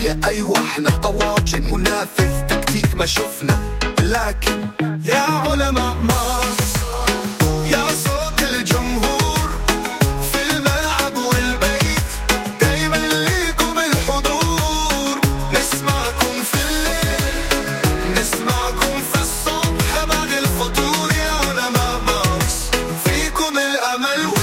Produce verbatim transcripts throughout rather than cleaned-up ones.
قوية، أيوة احنا طواجن، منافس تكتيك ما شفنا، لكن يا علماء مارس، يا صوت الجمهور في الملعب والبيت، دايما ليكم الحضور. نسمعكم في الليل، نسمعكم في الصبح بعد الفطور. يا علماء مارس، فيكم الأمل والنور.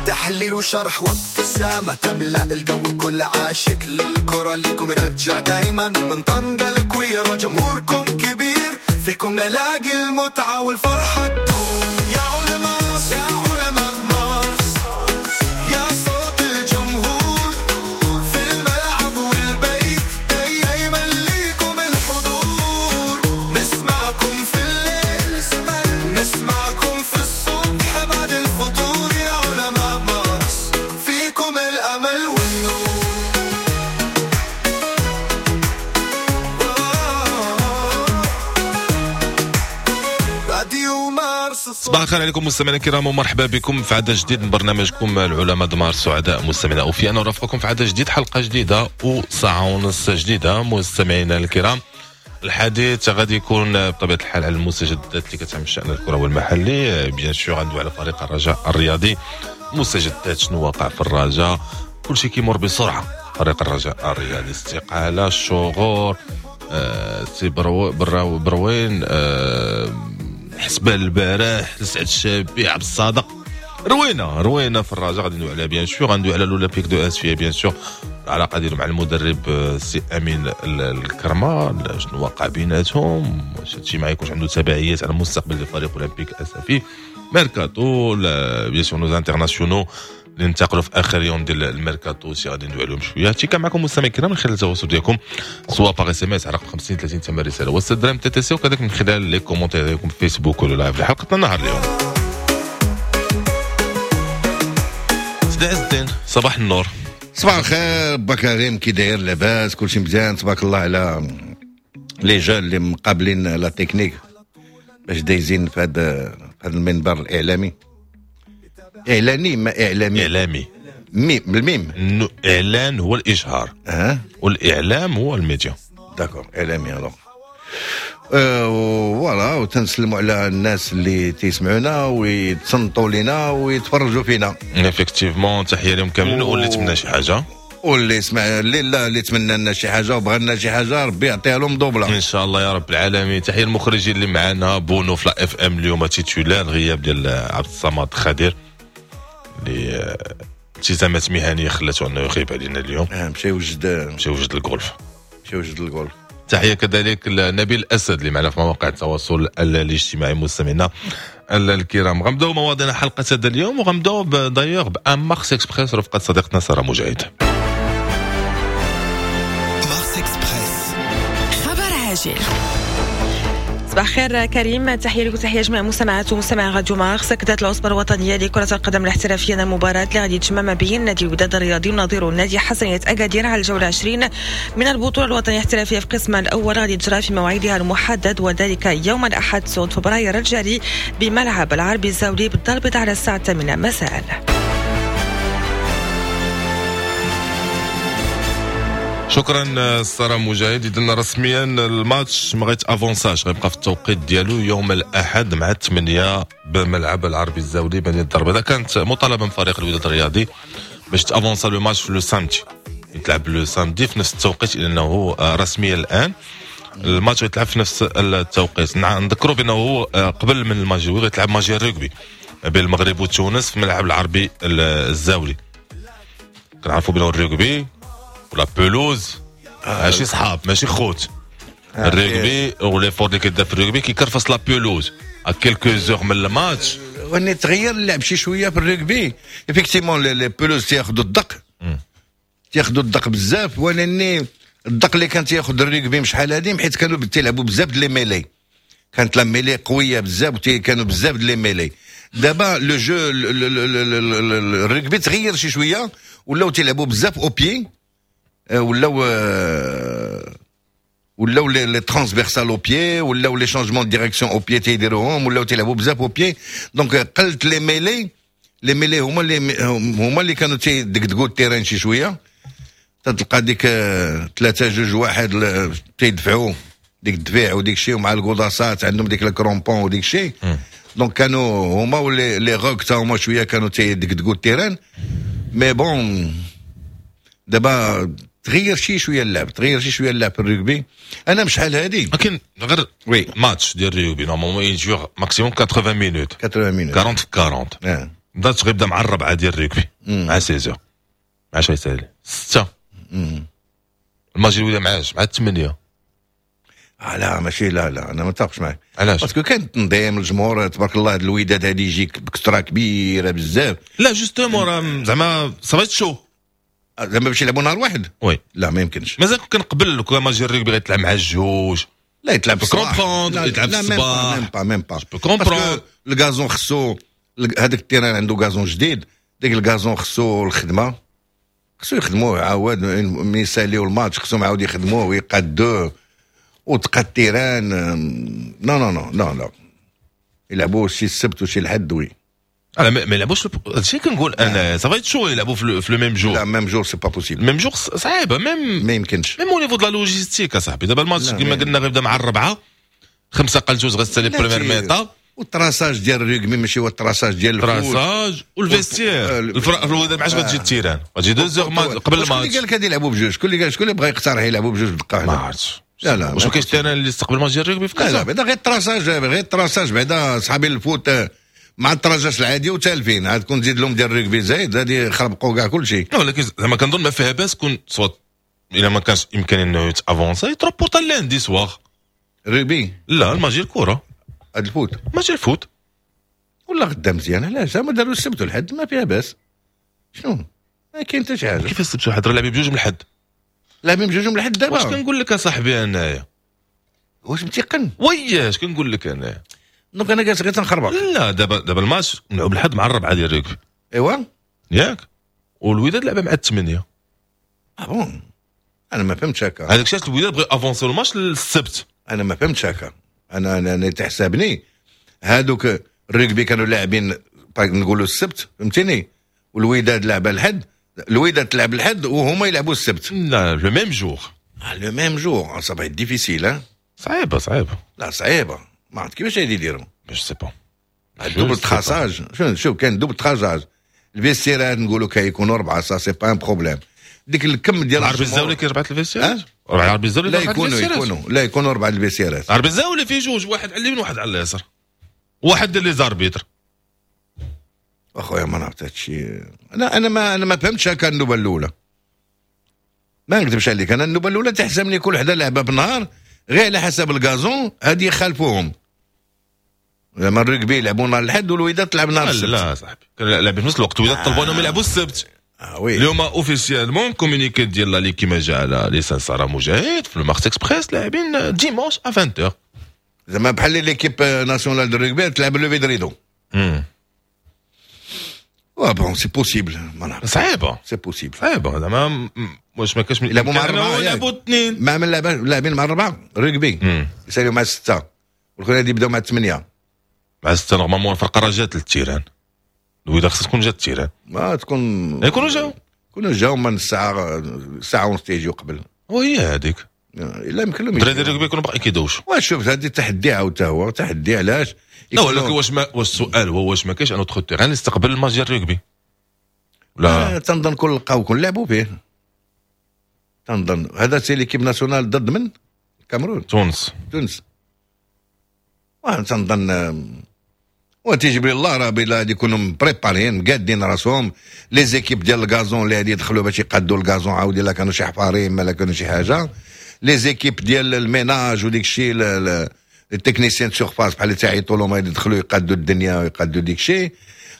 تحليل وشرح وابتسامة تملأ الجو، كل عاشق للكرة ليكم يرجع دايما. من طنجة الكويرة جمهوركم كبير، فيكم نلاقي المتعة والفرحة تدوم. يا علماء، يا علماء مارس، يا صوت الجمهور في الملعب والبيت، دايما ليكم الحضور. نسمعكم في الليل، نسمعكم في الصبح بعد الفطور. يا علماء مارس، فيكم الأمل والنور. راديو مارس. صباح الخير عليكم مستمعينا الكرام، ومرحبا بكم في عدد جديد من برنامجكم العلماء دمار. سعداء مستمعينا وفي انا نرافقكم في عدد جديد، حلقة جديدة وساعة ونص جديدة. مستمعينا الكرام، الحديث غادي يكون بطبيعة الحال على المستجدات اللي كتهم الشان الكروي المحلي، bien sûr غندوي على فريق الرجاء الرياضي، مستجدات شنو واقع في الرجاء، كلشي كيمر بسرعة. فريق الرجاء الرياضي، استقالة، الشغور، آه، سي برو برو بروين، آه، حسبان البارح، سعد الشابي، عبد الصادق، روينا روينا في الرجاء غادي ندوي عليها bien sûr. غندوي على الاولمبيك دو اسفيا bien sûr، العلاقة ديالو مع المدرب سي امين الكرمة، شنو واقع بيناتهم، واش هادشي ما يكونش عنده تبعيات على المستقبل لفريق اولمبيك اسفي، ميركاتو bien sûr nos internationaux اللي انتقلوا في اخر يوم ديال الميركاتو سي غادي ندوي عليهم شوية. هادشي كان معكم مستمعين الكرام من خلال التواصل ديالكم سواء par SMS على رقم خمسين ثلاثين ثمن رسالة وست درهم TTC، وكذلك من خلال les commentaires ديالكم في فيسبوك ولا live لحلقتنا النهار اليوم. سيدي عز الدين، صباح النور. صباح الخير با كريم، كي داير؟ لاباس؟ كلشي مزيان تبارك الله على les jeunes اللي مقابلين la technique باش دايزين في هذا في هذا المنبر الاعلامي. اعلاني ما اعلامي، اعلامي ميم بالميم. إنه اعلان هو الاشهار، اه والاعلام هو الميديا. d'accord، اعلامي alors أه voilà. وتنسلموا على الناس اللي تيسمعونا ويتصنتوا لينا ويتفرجوا فينا. effectivement تحية لهم كاملين، واللي تمنى شي حاجة واللي سمع اللي لا اللي تمنى لنا شي حاجة وبغى لنا شي حاجة ربي يعطيها لهم دوبله ان شاء الله يا رب العالمين. تحية المخرجين اللي معنا بونو في la FM اليوم titulaire، غياب ديال عبد الصمد خدير اللي التزامات مهنية خلته انه يغيب علينا اليوم. اه مشى يوجد مشى يوجد الجولف، مشى يوجد الجولف. تحية كذلك لنبيل الاسد اللي معنا في مواقع التواصل الاجتماعي. مستمعينا الكرام، غنبداو مواضيعنا حلقة هذا اليوم، وغنبداو d'ailleurs ب un Mars Express رفقه صديقتنا ساره مجاهد. Mars Express، خبر عاجل. صباح الخير كريم، تحية لك وتحية جميع مستمعات ومستمعي راديو مارس. أكدت العصبة الوطنية لكرة القدم الاحترافية أن المباراة اللي غادي تجمع ما بين نادي الوداد الرياضي ونظيره نادي حسنية أكادير على الجولة عشرين من البطولة الوطنية الاحترافية في قسمها الأول غادي تجرى في موعدها المحدد، وذلك يوم الأحد تسعة فبراير الجاري بملعب العربي الزاولي بالدار البيضاء على الساعة الثامنة مساء. شكرا ساره مجاهد. اذا رسميا الماتش ما غيتافونساش، غيبقى في التوقيت ديالو يوم الاحد مع الثمانية بملعب العربي الزاولي مدينة الدار البيضاء. كانت مطالبه من فريق الوداد الرياضي باش تافونسا le match في le samedi، يتلعب le samedi في نفس التوقيت، لانه رسميا الان الماتش غيتلعب في نفس التوقيت. نذكروا بانه قبل من الماتش غيتلعب ماتش الرugby بين المغرب وتونس في ملعب العربي الزاولي. كنعرفوا بانه ال rugby و la pelouse ماشي صحاب ماشي خوت. ال rugby و l'effort اللي كيدار في الرugby كيكرفس la pelouse à quelques heures من الماتش. واني تغير اللعب شي شوية في ال rugby، effectivement les pelouses تياخذوا الدق، تياخذوا الدق بزاف، ولاني الدق اللي كان تياخذ الرugby شحال هادي حيت كانوا تيلعبوا بزاف les mêlées، كانت la mêlée قوية بزاف وكانوا بزاف les mêlées. دابا le jeu ال rugby تغير شي شوية، ولاو تيلعبوا بزاف au pied، ولاو ولاو les transversales au pied، ولاو les changements direction au pied تيديروهم، ولاو تيلعبوا بزاف au pied. donc قلت les mêlées، les mêlées هما اللي هما اللي كانوا تيدقدقوا ال terrain شي شويه. تلقى ديك ثلاثة جوج واحد تيدفعوا ديك الدفيع وديك الشيء، ومع القداسات عندهم ديك ال crampons وديك الشيء. donc كانوا هما و les les rucks تا هما شوية كانوا تيدقدقوا ال terrain. mais bon دابا تغير شي شوية اللعب، تغير شي شوية اللعب في الرugby. انا مشحال هادي لكن غير oui ماتش ديال ال rugby normalement يدور maximum ثمانين minutes، ثمانين minutes، أربعين في أربعين. اه ماتش غيبدا مع الربعه ديال الرugby مع ستة مع شي يسالي ستة. الماتش الوداد معاش مع الثمانية. آه لا ماشي، لا لا انا ما اتفقش معك. علاش؟ parce que كان تنظيم الجمهور تبارك الله، هاد الوداد هادي يجيك بكثرة كبيرة بزاف. لا justement راه زعما ça va être chaud. زعما باش يلعبوا نهار واحد؟ oui. لا ما يمكنش. مازال كان قبل كان ماتش ال rugby غيتلعب مع الجوج. لا يتلعب في الصباح. comprendre يتلعب في الصباح. même pas même pas comprendre. ال gazon خصو، هذاك ال terrain عنده gazon جديد، ديك ال gazon خصو الخدمه، خصو يخدموه عاود ملي يساليو الماتش، خصهم عاود يخدموه ويقادوه وتقاد ال terrain. non non non non لا يلعبوا شي السبت وشي الحد oui. لا ما يلعبوش، هادشي كنقول انا ça va être chaud يلعبوا في le même jour. لا même jour c'est pas possible. même jour صعيبة même. ما يمكنش. même au niveau de la logistique اصاحبي. دابا الماتش كما قلنا غيبدا مع الربعه، خمسة قل جوج غتسالي première mi-temps. وال traçage ديال الرugby ماشي هو ال traçage ديال ال foot. ال traçage وال vestiaire الوداد ما عادش غتجي ال terrain، غتجي deux heures قبل الماتش. شكون اللي قال لك غادي يلعبوا بجوج؟ شكون اللي قال؟ شكون اللي بغى يقترح يلعبوا بجوج بدقة واحدة؟ ما عرفتش. لا لا واش ما كاينش terrain اللي يستقبل ماتش ديال الرugby في كازا؟ لا بعدا غير ال traçage، غير ال traçage بعدا صحابي ال foot مع ال traçage العادي وتالفين، عاد كون تزيد لهم ديال الرugby زايد غادي يخربقوا كاع كل شيء. لا ولكن زعما كنظن ما فيها باس كون soit الا ما كانش امكانية انه يت avancer يت reporta lundi soir. الرugby؟ لا الماتش ديال الكره. هاد ال foot. ماتش ال foot. ولا غدا مزيان، علاش ما داروا السبت والحد؟ ما فيها باس. شنو ما كاين حتى شي حاجة. كيف السبت والحد؟ راه لاعبين بجوج من الحد. لاعبين بجوج من الحد دابا. واش كنقول لك اصاحبي انايا؟ واش متيقن؟ oui اش كنقول لك انايا؟ donc انا جالس غير تنخربق. لا دابا دابا الماتش نلعب الحد مع الربعه ديال الرugby. ايوا ياك، والوداد لعبه مع الثمانية. ah bon انا ما فهمتش هكا. هذاك الشيء الوداد بغى avancer الماتش للسبت. انا ما فهمتش هكا. انا انا, أنا تحسبني هادوك الرugby كانوا لاعبين نقولوا السبت فهمتيني، والوداد لعبه الحد، الوداد تلعب الحد وهما يلعبوا السبت. لا le même jour. le même jour ça va être difficile. صعيبة صعيبة. لا صعيبة ما عرفت كيفاش غادي يديروا. je sais pas. double traçage، شوف شوف كاين double traçage، ال vestiaire ات نقولوا كيكونوا اربعة ça c'est pas un problème. ديك الكم ديال العربي الزاولي كاين اربعة ال vestiaire ات؟ العربي الزاولي لا يكونوا يكونوا لا يكونوا اربعة ال vestiaire ات. العربي الزاولي فيه جوج، واحد على اليمين وواحد على اليسار، واحد ديال les arbitres. اخويا ما نعرف هادشي، انا انا ما انا ما فهمتش هكا النوبة الاولى. ما نكذبش عليك، انا النوبة الاولى تحسبني كل وحده لعبه بالنهار غير على حسب ال gazon هادي يخالفوهم. زعما الركبي يلعبوا نهار الحد والوداد تلعب نهار السبت. لا صاحبي لعبوا في نفس الوقت، الوداد طلبوا انهم يلعبوا السبت. آه oui. اليوم officiellement communiqué ديال la ligue كيما جا على لسان ساره مجاهد في المارس اكسبريس، لاعبين dimanche à عشرين. زعما بحال l'équipe nationale de rugby تلعب lever de rideau. وا bon c'est possible ما نعرف. صعيبة c'est possible صعيبة زعما واش ما كاش يلعبوا مع الربعه؟ يلعبوا اثنين مع من لاعبين مع الربعه رugby يساليو مع ستة والاخرين يبداو مع الثمانية. مع ستة normalement الفرقة راه جات لل terrain، الوداد خصها تكون جات ال terrain. ما تكون يكونوا جاو يكونوا جاو من الساعة ساعة ونص تيجيو قبل. وهي هذيك الا يمكن لهم الدراري ديال الرugby يكونوا باقيين كيدوشوا. وشوف هذه تحدي عاود هو تحدي علاش؟ لا ولكن واش ما واش السؤال هو واش ما كاينش un autre terrain يستقبل الماتش ديال الرugby؟ لا آه تنظن كل لقاو كل لعبوا به. تنظن هذا c'est l'équipe nationale ضد من الكاميرون تونس تونس. تنظن وتيجيب لي الله راه بلا غادي يكونوا préparé ين قادين راسهم. les équipes ديال ال gazon اللي غادي يدخلوا باش يقادوا ال gazon عاود الا كانوا شي حفارين ما كانوا شي حاجة. les équipes ديال ال ménage وديك الشيء ال techniciens surface بحال اللي تعيطوا لهم غادي يدخلوا يقادوا الدنيا ويقادوا ديك الشيء.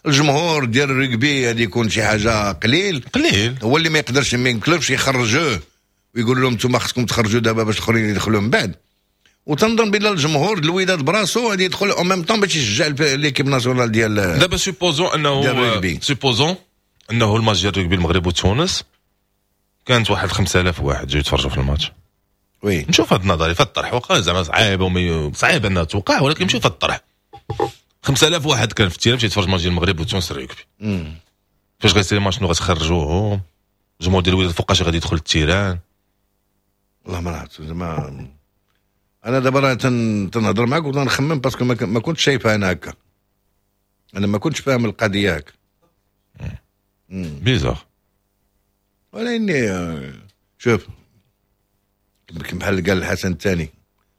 الجمهور ديال الرugby غادي يكون شي حاجة قليل قليل، هو اللي ما يقدرش ما يمكنلوش يخرجوه ويقول لهم انتم خصكم تخرجوا دابا باش الاخرين يدخلوا من بعد. وتنظن بان الجمهور الوداد براسو غادي يدخل en même temps باش يشجع l'équipe nationale ديال دابا. supposons انه supposons انه الماتش ديال الرugby المغرب وتونس كانت واحد خمسة آلاف واحد جاو يتفرجوا في الماتش. oui نشوف هذا النظري في الطرح، واخا زعما صعيب ومي... صعيب انها توقع، ولكن نمشيو في الطرح. خمسة آلاف واحد كان في ال terrain مشى يتفرج ماتش ديال المغرب وتونس الريكبي. فاش غيسالي ماتش شنو غتخرجوهم؟ الجمهور ديال الوداد فوقاش غادي يدخل ال terrain؟ والله ما عرفت، زعما انا دابا راه تنهضر معاك ونخمم parce que ما كنتش شايفها انا هكا، انا ما كنتش فاهم القضية هكا. bizarre. ولكن آه، شوف، بحال قال الحسن الثاني،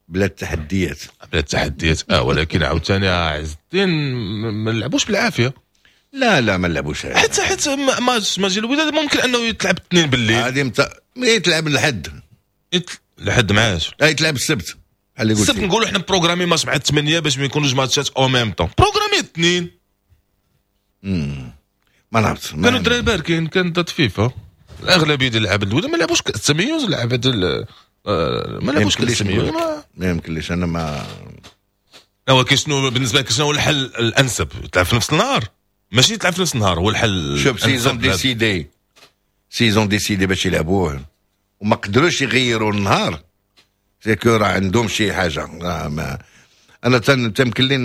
بلا التحديات. بلا التحديات، اه ولكن عاوتاني عز الدين ما نلعبوش بالعافيه. لا لا، ما نلعبوش. حتى حتى ماتش ماتش الوداد ممكن انه يتلعب اثنين بالليل. غادي مت... يتلعب الحد. يت... لحد معاش؟ لا، يتلعب السبت بحال اللي قلت. السبت، نقولوا حنا programmé match مع الثمانية باش ما يكونوش ماتشات en même temps، programmé اثنين. ما نعرفش. كانوا الدراري باركين، كان date فيفا، الاغلبية ديال اللعابه الوداد ما لعبوش كاس التميز، اللعابه ديال آه، ما لعبوش كاس التميز. ما ما يمكنليش انا ما لا، ولكن شنو بالنسبة لك شنو هو الحل الانسب؟ تلعب في نفس النهار؟ ماشي تلعب في نفس النهار هو الحل. شوف، s'ils ont décidé s'ils ont décidé باش يلعبوه وما قدروش يغيروا النهار، c'est que راه عندهم شي حاجه. ما انا تمكن لي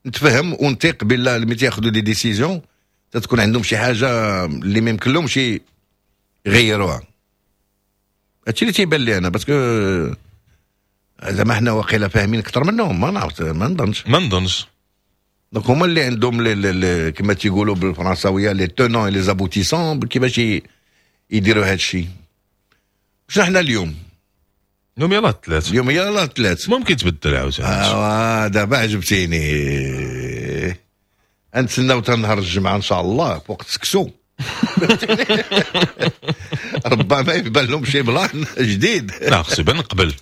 نتفهم ونثيق بالله، ملي تياخذوا des décisions تتكون عندهم شي حاجة اللي ما يمكن لهمش يغيروها. هادشي اللي تيبان لي انا، parce que زعما حنا واقيلا فاهمين اكثر منهم، ما نعرف، ما نظنش. ما نظنش. donc هما اللي عندهم les les كما تيقولوا بالفرنساويه les tenants les aboutissants، كيفاش يديروا هذا الشيء. شنو حنا اليوم؟ اليوم يلاه الثلاث. اليوم يلاه الثلاث. ممكن تبدل عاوتاني. آه، دابا عجبتيني، نتسناو حتى نهار الجمعة ان شاء الله في وقت سكسو، ربما يبان لهم شي plan جديد. لا، خصو يبان قبل،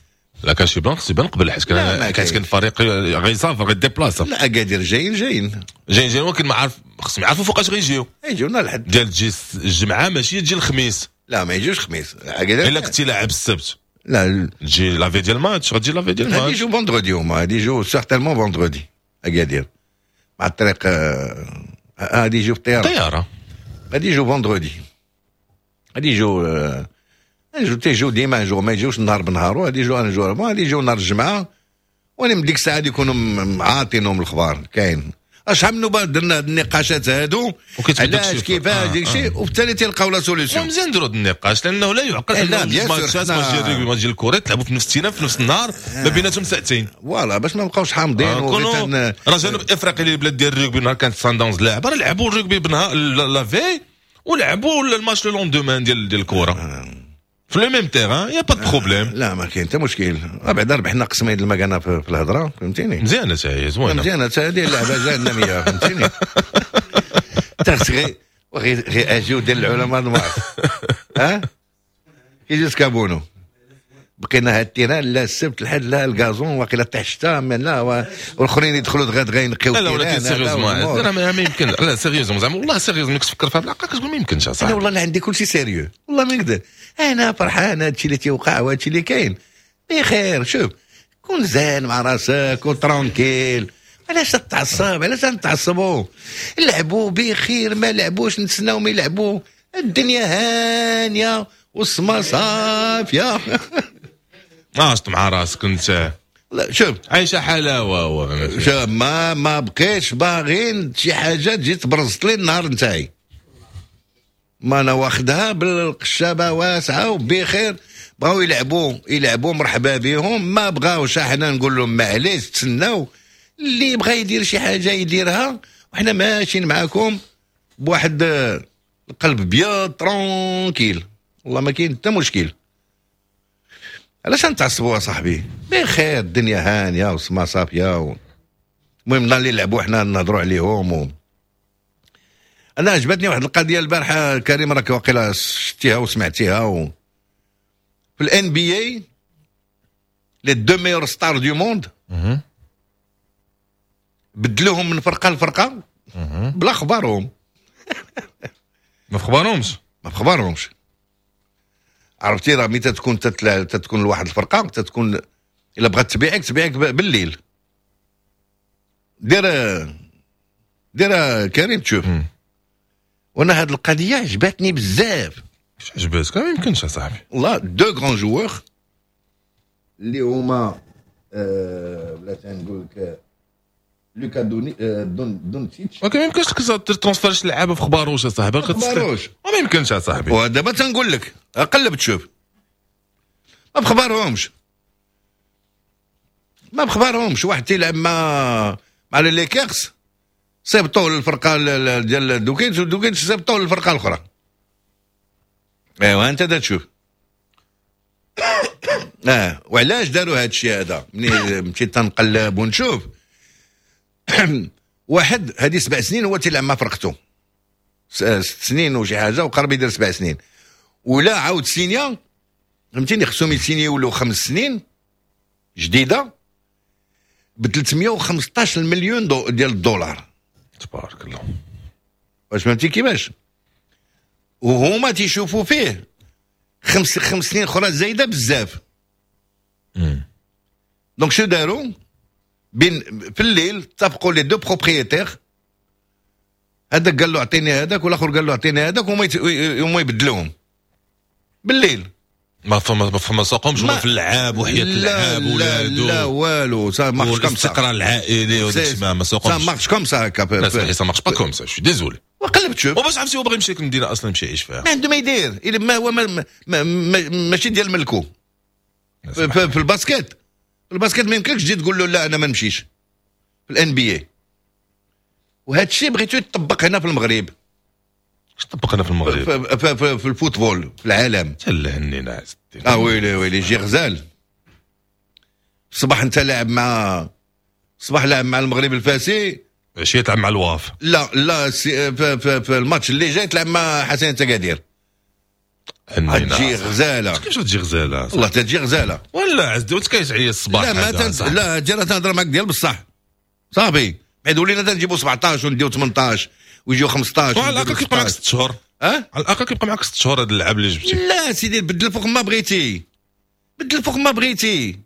لا كان شي plan خصو يبان قبل، حيت كان كان الفريق غيسافر غيديبلاصا. لا، اكادير جايين جايين. جايين جايين، ولكن ما عارف، خصهم يعرفوا فوقاش غيجيو. يجيو نهار الحد. ديال تجي الجمعة ماشي تجي الخميس. لا، ما يجيوش خميس اكادير. الا كنتي لاعب السبت لا. تجي la veille ديال الماتش، غتجي la veille ديال غادي الماتش. يجيو vendredi هما، غادي يجيو certainement vendredi اكادير مع الطريق، آه، غادي يجيو في الطياره. طياره. غادي يجيو vendredi، غادي يجيو آه، يجيو تيجيو ديما un jour، ما يجيوش النهار بنهارو، غادي يجيو un jour، غادي يجيو نهار الجمعه، وانا من ديك الساعة غادي يكونوا معاطينهم الخبار. كاين شحال من نوبه درنا هاد النقاشات هادو، علاش، كيفاش، ديك الشيء، وبالتالي تلقاو la solution. مزيان نديرو هاد النقاش، لانه لا يعقل لا ماتشات، ماتش ديال الريغبي، ماتش ديال الكره، تلعبوا في نفس ال terrain في نفس النهار، ما بيناتهم ساعتين. voilà، باش ما نبقاوش حامضين. آه راه جنوب افريقيا اللي البلاد ديال الريغبي، نهار كانت سان داونز لاعبه راه لعبوا الريغبي بنهار la veille ولعبوا ال match le lendemain ديال ديال الكره في le même terrain، y a pas de problème. لا، ما كاين حتى مشكل. بعدا ربحنا قسمين المكانة في الهضره، فهمتيني؟ مزيانه حتى هي، زوينه. مزيانه حتى هذه، اللعبة جهنميه، فهمتيني؟ تخص غير غير غير اجيو ديال العلماء المارس ها كي كابونو بقينا هاد ال terrain، لا السبت الحد لا ال gazon واقيلا تحت الشتاء لا، والاخرين يدخلوا دغيا دغيا ينقيو. لا لا، ولكن sérieusement راه ما يمكن، لا sérieusement زعما، والله sérieusement ملي تفكر فيها بالعقل كتقول ما يمكنش. اصاحبي، انا والله لا عندي كل شيء sérieux، والله ما نقدر، انا فرحان هادشي اللي تيوقع وهادشي اللي كاين بخير. شوف، كون زين مع راسك، كون tranquille، علاش تتعصب؟ علاش نتعصبوا؟ لعبوا بخير، ما لعبوش نتسناو ما يلعبوا، الدنيا هانيه والسما صافيه. ناشط مع راسك انت. لا، شوف. عايشه حلاوه. شوف، ما ما بقيتش باغين شي حاجة تجي تبرزط لي النهار نتاعي، ما انا واخدها بالقشابه واسعة وبخير. بغاو يلعبوا يلعبوا، مرحبا بهم، ما بغاوش احنا نقول لهم معليش تسناو، اللي بغى يدير شي حاجة يديرها، وحنا ماشيين معاكم بواحد القلب بيض tranquille، والله ما كاين حتى مشكل. علاش نتعصبوا صاحبي؟ بخير، الدنيا هانيه والسما صافية و... المهم نهار اللي يلعبوا حنا نهضروا عليهم و... انا عجبتني واحد القضية البارحة كريم، راك واقيلا شتيها وسمعتيها و... في ال NBA les deux meilleures stars du monde بدلوهم من فرقه لفرقة بلا خبارهم. ما في خبارهمش؟ ما في خبارهمش. عرفتي راه ملي تتكون تتكون لواحد الفرقة تتكون الا بغات تبيعك تبيعك بالليل. دير دير كريم تشوف، وانا هذه القضية عجبتني بزاف. عجبتك؟ ما يمكنش اصاحبي. والله deux grands joueurs. اللي هما آه بلا تنقول لك لوكا دوني آه دون دونتيتش. ولكن ما يمكنش لك transfert شي لعابه في خباروش اصاحبي، خباروش ما يمكنش اصاحبي. ودابا تنقول لك قلب تشوف، ما بخبارهمش ما بخبارهمش. واحد تيلعب مع مع les Lakers صيبطوه للفرقة ديال دوكيتش، ودوكيتش صيبطوه للفرقة الاخرى. ايوا انت دا تشوف. اه وعلاش داروا هذا الشيء هذا؟ ملي مشيت تنقلب ونشوف واحد هذه سبع سنين هو تيلعب مع فرقته، ست سنين وشي حاجة وقرب يدير سبع سنين، ولا عاود سينيا فهمتيني، خصهم يسينيو له خمس سنين جديدة ب ثلاثمية وخمسطاش مليون دو ديال الدولار. تبارك الله. واش فهمتي كيفاش؟ وهما تيشوفوا فيه خمس خمس سنين اخرى زايدة بزاف. donc شنو داروا؟ بين في الليل اتفقوا les deux propriétaires، هذاك قال له اعطيني هذاك والاخر قال له اعطيني هذاك، وما يت... وما يبدلوهم بالليل. ما فما ما فما سوقهمش هما في اللعاب وحياه اللعاب ولا لا لا والو، ça marche comme ça، الاستقرار العائلي وداك الشيء ما سوقهمش. ça marche comme ça هكا. لا ça marche pas comme ça، je suis désolé. وقلب تشوف وباش عرفتي هو باغي يمشي لك المدينة اصلا يمشي يعيش فيها، ما عنده ما يدير، الا ما هو ما ما ما ماشي ديال ملكو. في, في, في ال basket، في ال basket ما يمكنلكش تجي تقول له لا انا ما نمشيش في ال NBA. وهذا الشيء بغيتو يطبق هنا في المغرب. اش طبق هنا في المغرب؟ في, في, في, في ال football في العالم. تلهني عز الدين. اه ويلي ويلي جي غزال. الصباح انت لاعب مع الصباح لاعب مع المغرب الفاسي، عشية تلعب مع الواف. لا لا في, في, في الماتش اللي جاي تلعب مع حسن تقادير. تجي غزاله. كيفاش تجي غزاله؟ والله تجي غزاله. ولا عز الدين كايش عليا الصباح. لا ما تنس... لا جي راه تنهضر معاك ديال بصح صافي. بعد ولينا تنجيبو سبعطاش ونديو ثمنطاش ويجيو خمسطاش. وعلى الاقل كيبقى معاك ست شهور. اه على الاقل كيبقى معاك ست شهور هذا اللعب اللي جبتي. لا سيدي بدل فوق ما بغيتي، بدل فوق ما بغيتي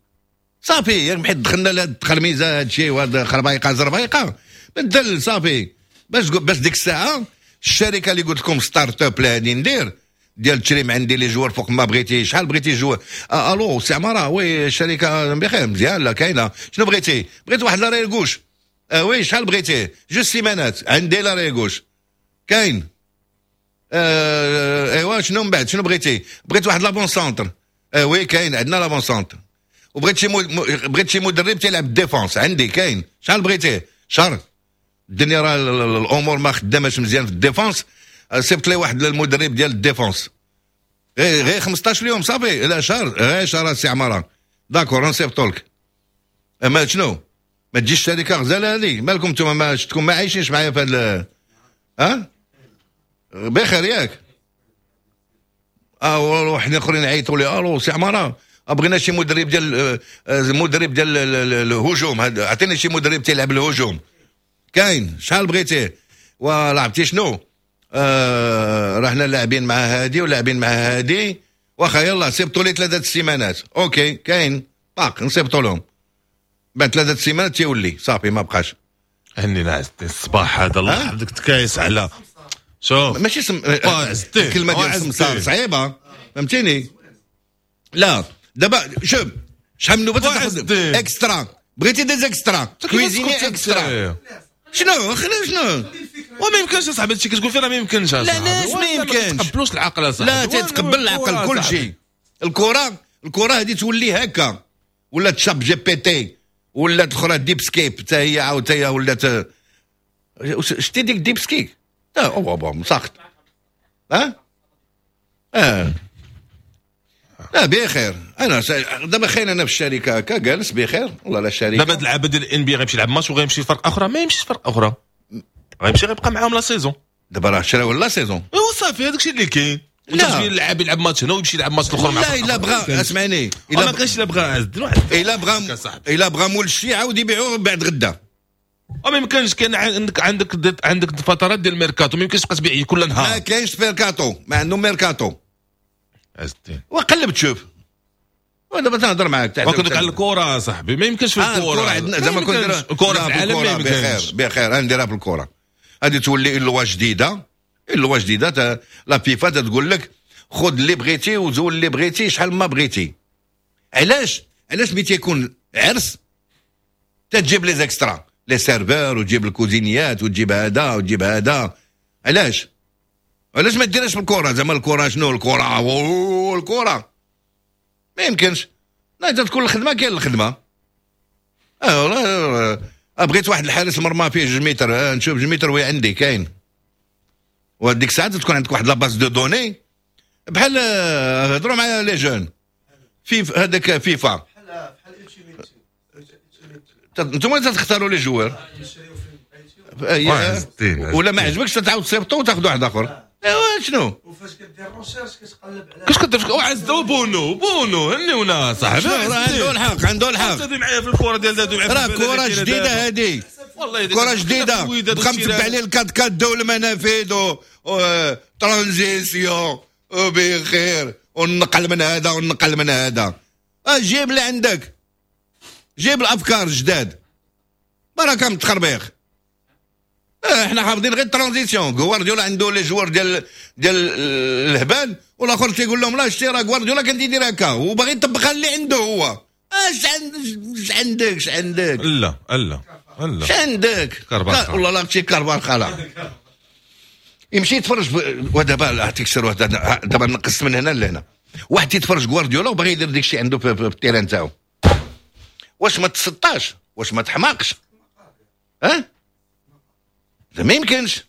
صافي. ياك حيت دخلنا لهاد التخرميزه هاد الشيء وهاد خربيقه زربيقه، بدل صافي. باش باش ديك الساعة الشركة اللي قلت لكم start-up اللي غادي ندير ديال تشري من عندي les joueurs فوق ما بغيتي، شحال بغيتي joueur؟ آه الو سي عمارة oui الشركة بخير مزيان، لا كاينه، شنو بغيتي؟ بغيت واحد l'arrière gauche. آه oui شحال بغيتي؟ جوج سيمانات عندي l'arrière gauche كاين. آه ايوا شنو من بعد شنو بغيتي؟ بغيت واحد l'avant-centre. آه oui كاين عندنا l'avant-centre. وبغيت شي بغيت شي مدرب تيلعب défense عندي كاين. شحال بغيتيه؟ شهر. الدنيا راه الامور ما خداماش مزيان في ال défense، سيبت لي واحد المدرب ديال ال défense غير غير خمسطاش يوم صافي، لا شهر غير شهر سي عمارة d'accord نصيفطو لك. اما شنو ما تجيش الشركة غزاله هذه؟ مالكم انتم ما شفتكم ما عايشينش معايا في هذا؟ ها بخير ياك؟ اه وحنا اخرين عيطوا لي الو سي عمارة بغينا شي مدرب ديال مدرب ديال الهجوم، عطيني شي مدرب تيلعب الهجوم. كاين شحال بغيتيه؟ ولعبتي شنو؟ آه رحنا لاعبين مع هادي ولاعبين مع هادي، واخا يلا سيبطوا لي ثلاثة السيمانات. OK كاين طاق نسيبطوا لهم بعد ثلاثة السيمانات تيولي صافي ما بقاش. هني عز الدين الصباح هذا الله يحفظك تكايس على شوف ماشي سم... الكلمة ديال سمسار صعيبة فهمتيني. لا دابا شوف شحال من نوبه تاخذ extra، بغيتي des extras cuisinier extra شنو خلينا شنو وما يمكنش اصاحبي هادشي كتقول فيه راه ما يمكنش. لا لاش ما يمكنش؟ ما تقبلوش العقل اصاحبي. لا تتقبل العقل كل شيء. الكره الكره هذه تولي هكا ولا ChatGPT ولا الاخرى DeepSeek حتى هي عاود حتى هي ولات شتي ديك DeepSeek لا او با مساخط ها اه لا بخير. انا دابا خاين انا في الشركة هكا جالس بخير والله. لا الشركة دابا هاد اللعابه ديال ال NBA غيمشي يلعب ماتش وغيمشي لفرق اخرى، ما يمشيش فرق اخرى، غيمشي غيبقى معاهم la saison. دابا راه شراو la saison ايوا صافي هذاك الشيء اللي كاين. لا اللاعب يلعب ماتش هنا ويمشي يلعب ماتش الاخر مع لا الا بغى اسمعني الا ما كانش الا بغى عز الدين واحد الا بغى الا بغى مول الشيء عاود يبيعوه بعد غدا. ما يمكنش كاين عندك عندك عندك فترات ديال الميركاتو ما يمكنش تبقى تبيع كل نهار. ما كاينش ميركاتو، ما عندهم ميركاتو عز الدين. وقلب تشوف ودابا تنهضر معاك وكندوك على الكره صاحبي ما يمكنش في الكره. الكره عندنا زعما كندير الكره في العالم ما يمكنش. بخير بخير نديرها في الكره هذه تولي loi جديدة، loi جديدة la FIFA تقول لك خذ اللي بغيتي وزول اللي بغيتي شحال ما بغيتي. علاش؟ علاش ملي تيكون عرس تجيب les extras، les serveurs وتجيب ال cuisinier ات وتجيب هذا وتجيب هذا؟ علاش؟ علاش ما ديرهاش في الكره؟ زعما الكره شنو الكره؟ الكره ما يمكنش. لا تكون الخدمة كاين الخدمة. اه والله بغيت واحد الحارس المرمى فيه جوج متر، آه نشوف جوج متر وين عندي كاين. وديك الساعة تكون عندك واحد la base de données بحال هضروا مع les jeunes فيف هذاك فيفا، انتم تختاروا les joueurs ولا ما عجبكش تعاود تصيفطو وتاخذ واحد اخر. ايوا شنو؟ وفاش كدير recherche كتقلب على كاش كدير عز بونو بونو هنيونا صاحبي، عنده الحق عنده الحق. انت معايا في الكره ديال دادو معايا، راه كره جديدة هذه والله، كره جديدة بقى متبع لي ال quatre quatre deux المنافذ و transition وبخير ونقل من هذا ونقل من هذا. جيب اللي عندك، جيب الافكار جداد، بركة من التخربيق. احنا حافظين غير transition. غوارديولا عنده les joueurs ديال ديال الهبال، والاخر تيقول لهم لا شتي راه غوارديولا كان تيدير هكا وباغي يطبقها اللي عنده هو. اش عندك؟ اش عندك؟ اش عندك؟ لا لا لا اش عندك؟ والله لا شي كاربار خلا يمشي يتفرج. ودابا نعطيك سر، دابا نقصت من هنا لهنا. واحد تيتفرج غوارديولا وباغي يدير داك الشيء عنده في ال terrain تاعو. واش ما تسطاش؟ واش ما تحماقش؟ ها؟ ما يمكنش،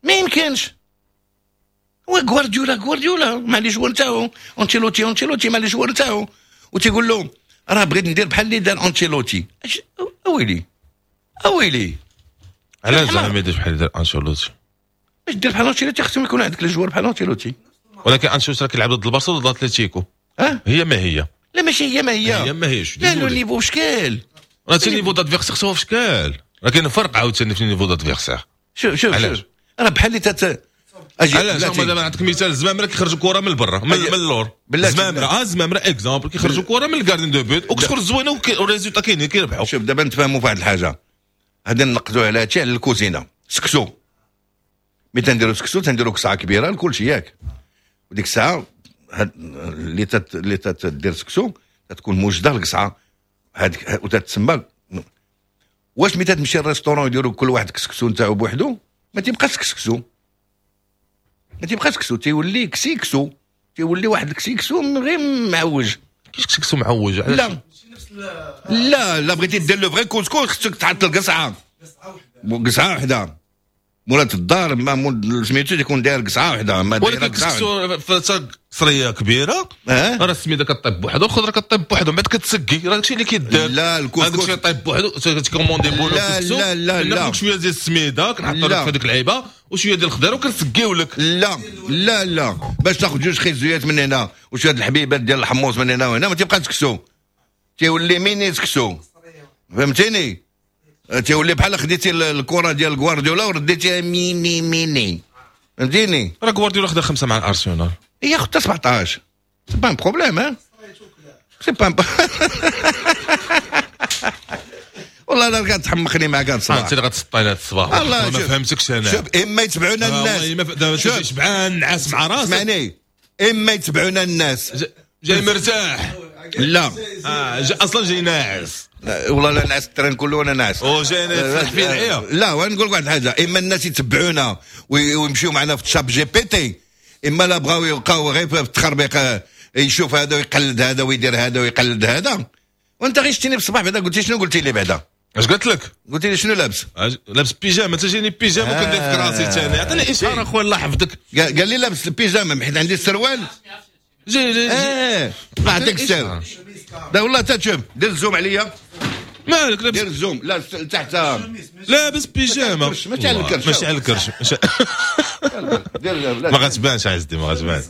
ما يمكنش. هو غوارديولا غوارديولا مع les joueurs تاعو، انشيلوتي انشيلوتي مع les joueurs تاعو، وتيقول له راه بغيت ندير بحال اللي دار انشيلوتي. اويلي اويلي، علاش زعما ما يديرش بحال اللي دار انشيلوتي؟ باش دير بحال انشيلوتي خصهم يكون عندك les joueurs بحال انشيلوتي. ولكن انشيلوتي راه كيلعب ضد البارسا وضد الاتليتيكو. اه هي ما هي لا ماشي هي ما هي هي ما هيش. لا le niveau شكال، راه حتى niveau d'adversaire هو في شكال، راه كاين فرق عاوتاني في niveau d'adversaire. شوف شوف شوف راه بحال اللي تت اجي. علاش هما دابا نعطيك مثال، الزمامره كيخرجوا كره من برا من, من اللور. الزمامره اه الزمامره exemple كيخرجوا كره من ال gardien de but وكتخرج زوينة وال résultat كاينين كيربحوا. شوف دابا نتفاهموا في واحد الحاجة، هذا نقدوا على هادشي على الكوزينة. سكسو ملي تنديروا سكسو تنديروا قصعه كبيرة لكلشي ياك، وديك الساعة اللي تت اللي تدير سكسو تتكون موجده القصعه هذيك وتتسمى. واش ملي تمشي لل restaurant يديروا كل واحد كسكسو نتاعو بوحدو ما تيبقاش كسكسو، ما تيبقاش كسكسو، تيولي كسيكسو، تيولي واحد الكسيكسو غير معوج. كيفاش كسكسو معوج؟ لا لا لا بغيتي دير le vrai couscous خصك تحط القصعه قصعه وحده. مولات الدار ما مول سميتو تيكون داير قصعه وحده، ما داير قصعه ولكن قصريه كبيرة. أه؟ راه السميده كطيب بوحدها والخضره كطيب بوحدها، من بعد كتسقي. راه داكشي اللي كيدار. لا الكسكس داكشي طيب بوحدو، تكوموندي بونو لا لا لا لا شوية ديال السميده كنحطوا لك في هذيك اللعيبة وشوية ديال الخضرة وكنسقيو لك. لا لا لا باش تاخذ جوج خيزويات من هنا وشوية الحبيبات ديال الحموص من هنا وهنا ما تيبقاش كسكسو، تيولي ميني سكسو. فهمتيني؟ تيولي بحال خديتي الكره ديال غوارديولا ورديتيها mini mini. فهمتيني؟ راه غوارديولا خدا خمسة مع الارسنال. هي خدت سبعطاش. c'est pas un problème hein، c'est pas. والله لا كتحمقني معاك هاد الصباح. انت اللي غتسطينا هاد الصباح. ما فهمتكش انا. شوف اما يتبعونا الناس، والله ما شبعان نعاس مع راسك. اسمعني، اما يتبعونا الناس جاي مرتاح. لا آه جا اصلا جاي ناعس. والله لا نعس ال train كله وانا ناعس. او جاي نفرح فيه العيا. لا وانا نقول لك واحد الحاجة، اما الناس يتبعونا ويمشيو معنا في ChatGPT، اما لا بغاو يبقاو غير في التخربيق، يشوف هذا ويقلد هذا ويدير هذا ويقلد هذا. وانت غير شتيني في الصباح بعدا قلت لي شنو قلت لي بعدا؟ اش قلت لك؟ قلت لي شنو لابس؟ لابس بيجامه. انت جايني بيجامه وكندير في راسي ثاني. عطيني اشارة اخويا الله يحفظك. قال لي لابس البيجامه حيت عندي السروال. جاي جاي اه نعطيك السر. لا والله تشوف دير ال zoom عليا. مالك لابس؟ دير ال zoom لا تحت. لابس بيجامه ماشي على الكرش، ماشي على الكرش. ما غتبانش عزدي، ما غتبانش.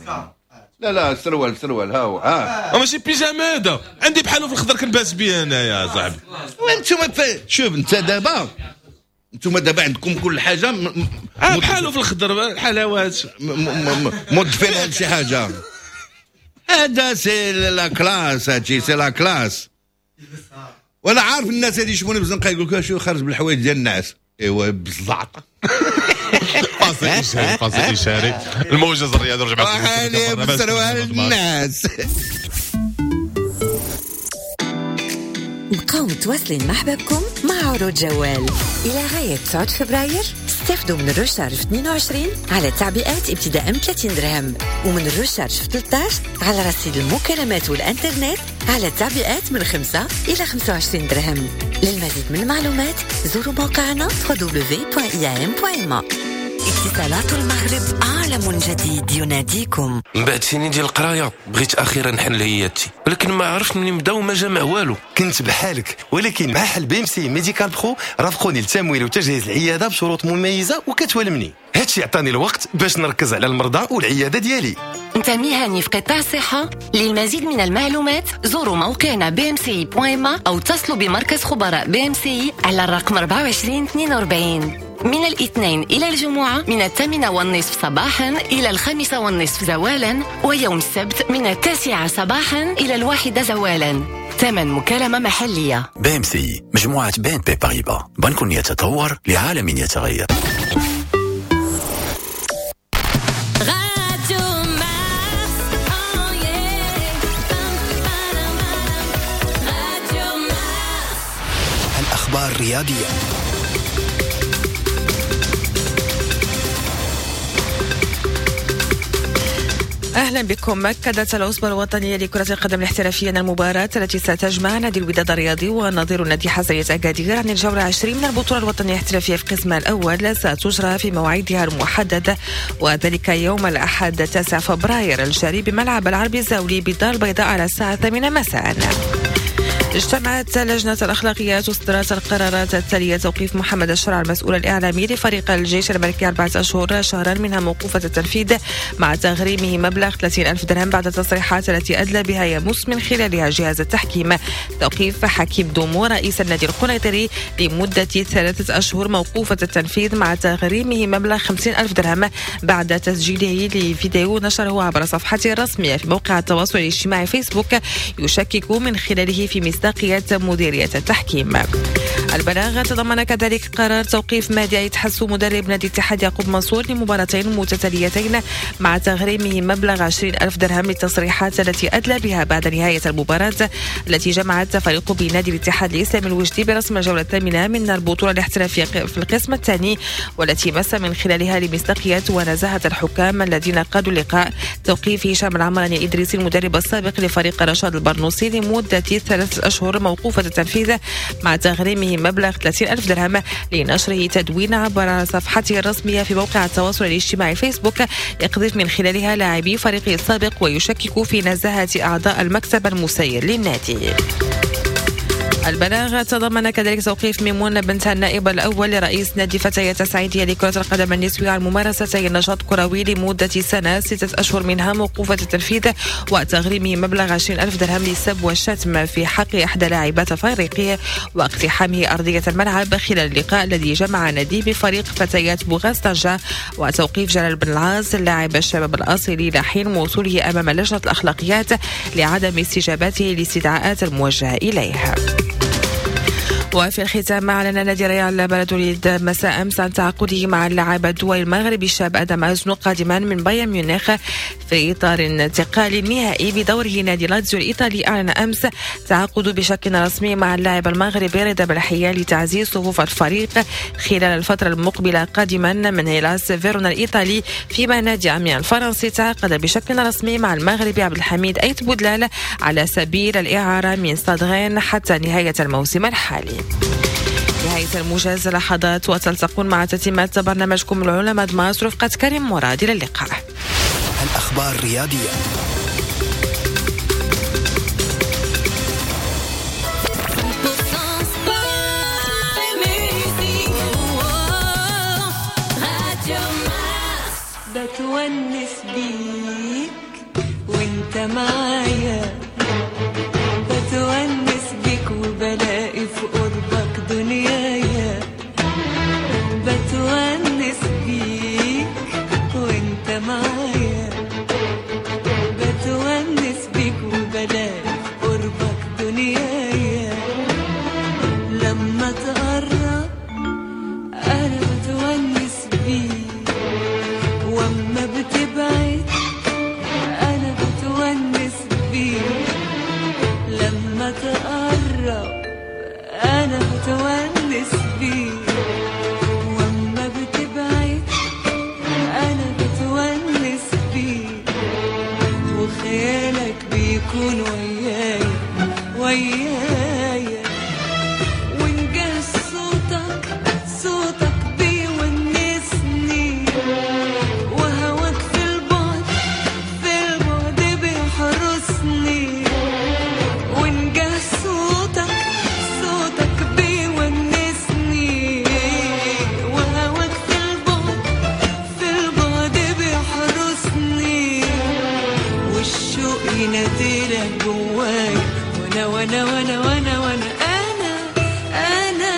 لا لا السروال السروال ها هو. اه ماشي بيجامه هذا، عندي بحالو في الخضر كنبات به انا يا صاحبي. وانتم شوف انت دابا انتم دابا عندكم كل حاجة م... اه بحالو في الخضر الحلاوات مضفين على شي حاجة. هذا c'est la classe، هادشي c'est la classe. وانا عارف الناس هادي يشوفوني بالزنقه يقول لك شو خارج بالحوايج ديال الناس. ايوا بالزعطه. فاصل اشهاري، فاصل اشهاري. الموجز الرياضي رجع معكم. الناس. بقاو متواصلين مع حبابكم مع عروض جوال إلى غاية تسعة فبراير. استفدوا من ال recharge في اثنين وعشرين على تعبئات ابتداء من ثلاثين درهم، ومن ال recharge في ثلاثة عشر على رصيد المكالمات والانترنت على تعبئات من خمسة إلى خمسة وعشرين درهم. للمزيد من المعلومات زوروا موقعنا دبليو دبليو دبليو دوت إي إم دوت إم أ. اتصالات المغرب، عالم جديد يناديكم. من بعد سنين ديال القراية بغيت اخيرا نحل عيادتي، ولكن ما عرفت منين نبدا وما جامع والو. كنت بحالك، ولكن مع حل BMCI Médical Pro رافقوني للتمويل وتجهيز العيادة بشروط مميزة وكتولمني. هادشي عطاني الوقت باش نركز على المرضى والعياده ديالي. انت مهني في قطاع الصحة؟ للمزيد من المعلومات زوروا موقعنا بي إم سي آي دوت إم أ او اتصلوا بمركز خبراء بي إم سي آي على الرقم أربعة وعشرين اثنين وأربعين من الاثنين إلى الجمعة من الثامنة والنصف صباحا إلى الخامسة والنصف زوالا، ويوم السبت من التاسعة صباحا إلى الواحدة زوالا. ثمن مكالمة محلية. بي إم سي، مجموعة بي إن بي باريبا، بنك يتطور لعالم يتغير. الأخبار الرياضية. أهلا بكم. أكدت العصبة الوطنية لكرة القدم الاحترافية أن المباراة التي ستجمع نادي الوداد الرياضي ونظير نادي حسنية أكادير عن الجولة عشرين من البطولة الوطنية الاحترافية في قسمها الأول ستجرى في موعدها المحدد، وذلك يوم الأحد تاسع فبراير الجاري بملعب العربي الزاولي بالدار البيضاء على الساعة الثامنة مساء. اجتمعت لجنة الأخلاقيات وصدرت القرارات التالية: توقيف محمد الشرع المسؤول الإعلامي لفريق الجيش الملكي أربعة أشهر شهرا منها موقوفة التنفيذ مع تغريمه مبلغ ثلاثين ألف درهم بعد التصريحات التي أدلى بها يمس من خلالها جهاز التحكيم. توقيف حكيم دومو رئيس النادي القنيطري لمدة ثلاثة أشهر موقوفة التنفيذ مع تغريمه مبلغ خمسين ألف درهم بعد تسجيله لفيديو نشره عبر صفحته الرسمية في موقع التواصل الاجتماعي فيسبوك يشكك من خلاله في مصداقية مديرية التحكيم. البلاغ تضمن كذلك قرار توقيف مهدي يتحسو مدرب نادي اتحاد يعقوب منصور لمباراتين متتاليتين مع تغريمه مبلغ عشرين ألف درهم للتصريحات التي أدلى بها بعد نهاية المباراة التي جمعت فريقه بنادي الاتحاد الإسلامي الوجدي برسم الجولة الثامنة من البطولة الاحترافية في القسم الثاني، والتي مس من خلالها لمصداقية ونزاهة الحكام الذين قادوا اللقاء. توقيف هشام العمراني الإدريسي المدرب السابق لفريق رشاد البرنوسي لمدة ثلاثة أشهر موقوفة التنفيذ مع تغريمه مبلغ ثلاثين ألف درهم لنشره تدوين عبر صفحته الرسمية في موقع التواصل الاجتماعي فيسبوك يقذف من خلالها لاعبي فريقه السابق ويشكك في نزاهة أعضاء المكتب المسير للنادي. البلاغ تضمن كذلك توقيف ميمون بنت النائب الأول لرئيس نادي فتيات السعيدية لكرة القدم النسوية عن ممارسة النشاط الكروي لمدة سنة ستة أشهر منها موقوفة التنفيذ وتغريمه مبلغ عشرين ألف درهم للسب والشتم في حق إحدى لاعبات فريقه واقتحامه أرضية الملعب خلال اللقاء الذي جمع نادي بفريق فتيات بوغاز طنجة، وتوقيف جلال بن العاص اللاعب الشباب الأصيلي لحين وصوله أمام لجنة الأخلاقيات لعدم استجابته للاستدعاءات الموجهة إليه. وفي الختام أعلن نادي ريال بلدوليد مساء أمس عن تعاقده مع اللاعب الدولي المغربي الشاب آدم أزنو قادما من بايرن ميونخ في إطار انتقال نهائي. بدوره نادي لاتزيو الإيطالي أعلن أمس تعاقده بشكل رسمي مع اللاعب المغربي رضا بلحية لتعزيز صفوف الفريق خلال الفترة المقبلة قادما من هيلاس فيرونا الإيطالي، فيما نادي أميان الفرنسي تعاقد بشكل رسمي مع المغربي عبد الحميد أيت بودلال على سبيل الإعارة من ستاد رين حتى نهاية الموسم الحالي. نهاية الموجز لحظات وتلتقون مع تتمات برنامجكم العلماء دماس رفقة كريم مراد. إلى اللقاء. الأخبار الرياضية. بتونس بيك وانت معايا، بتونس بيك وبلاقي في قربك دنيايا، بتونس بيك وانت معايا، بتونس بيك وبلاقي في قربك دنيايا، لما تقرب انا بتونس بيك، واما بتبعد انا بتونس بيك، لما تقرب صوتك بيونسني، وهواك في البعد في البعد بيحرسني، ونجاه صوتك صوتك بيونسني، وهواك في البعد في البعد بيحرسني، والشوق يناديلك جوايا، وانا وانا وانا وانا وانا انا انا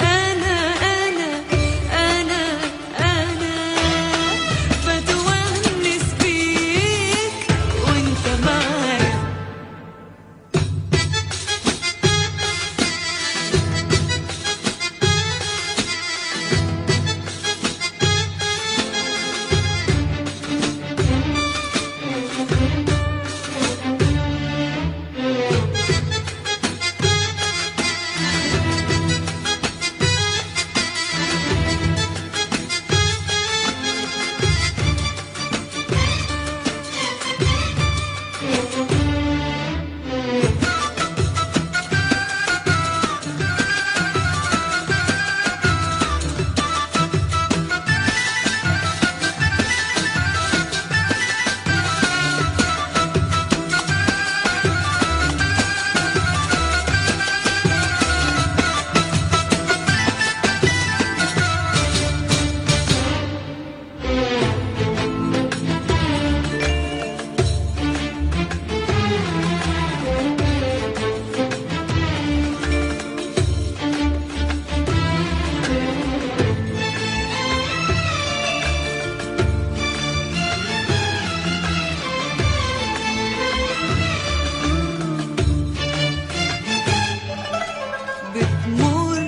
انا انا انا انا بتونس بيك وانت معايا. بتمر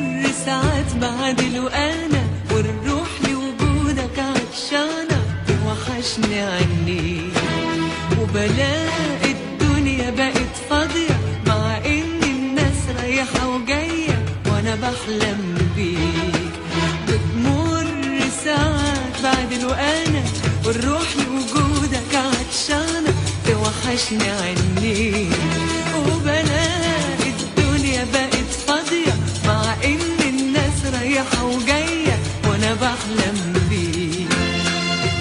ساعات بعدل وانا، والروح لوجودك عطشانة، توحشني عني، وبلاقي الدنيا بقت فاضية، مع ان الناس رايحة وجاية، وانا بحلم بيك. بتمر ساعات بعدل وانا، والروح لوجودك عطشانة، توحشني عني، وبلاقي الدنيا بقت فاضية، مع ان الناس رايحة وجاية، وانا بحلم بيك.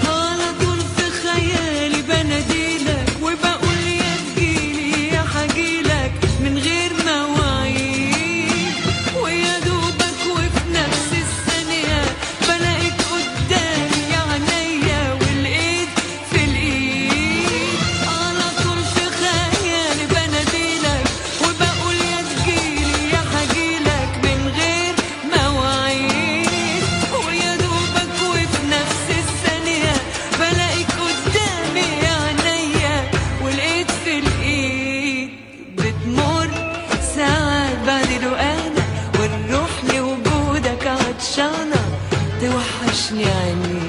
على طول في خيالي بناديلك، وبقول يا تجيلي يا حجيلك من غير مواعيد، ويا دوبك وفي نفس الثانية بلاقيك قدامي يا عينيا، والايد في الايد. على طول في خيالي بناديلك، وبقول يا تجيلي يا حجيلك من غير مواعيد، ويا دوبك وفي نفس الثانية بلاقيك قدامي يا عينيا، والايد في الايد. بتمر ساعات بعد الوقانة، والروح لوجودك عطشانة، توحشني عيني،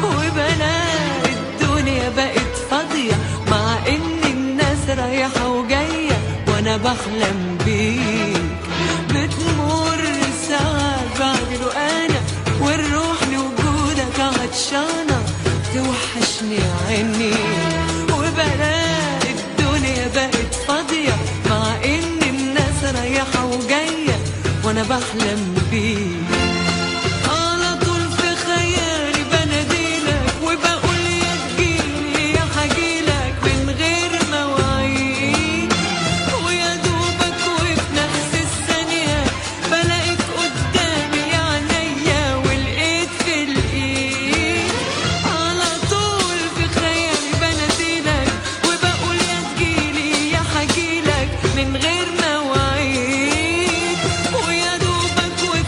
وبلاقي الدنيا بقت فاضية، مع ان الناس رايحة وجاية، وانا بحلم بيك. بتمر ساعات بعد الوقانة، والروح لوجودك عطشانة، توحشني عيني، وبلاقي الدنيا بقت فاضية، مع ان الناس رايحة وجاية، وانا بحلم بيك. على طول في خيالي بناديلك، وبقول يا تجيلي يا حجيلك من غير مواعيد، ويا دوبك وفي نفس الثانية بلاقيك قدامي يا عينيا، والايد في الايد. على طول في خيالي بناديلك، وبقول يا تجيلي يا حجيلك من غير مواعيد، ويا دوبك وفي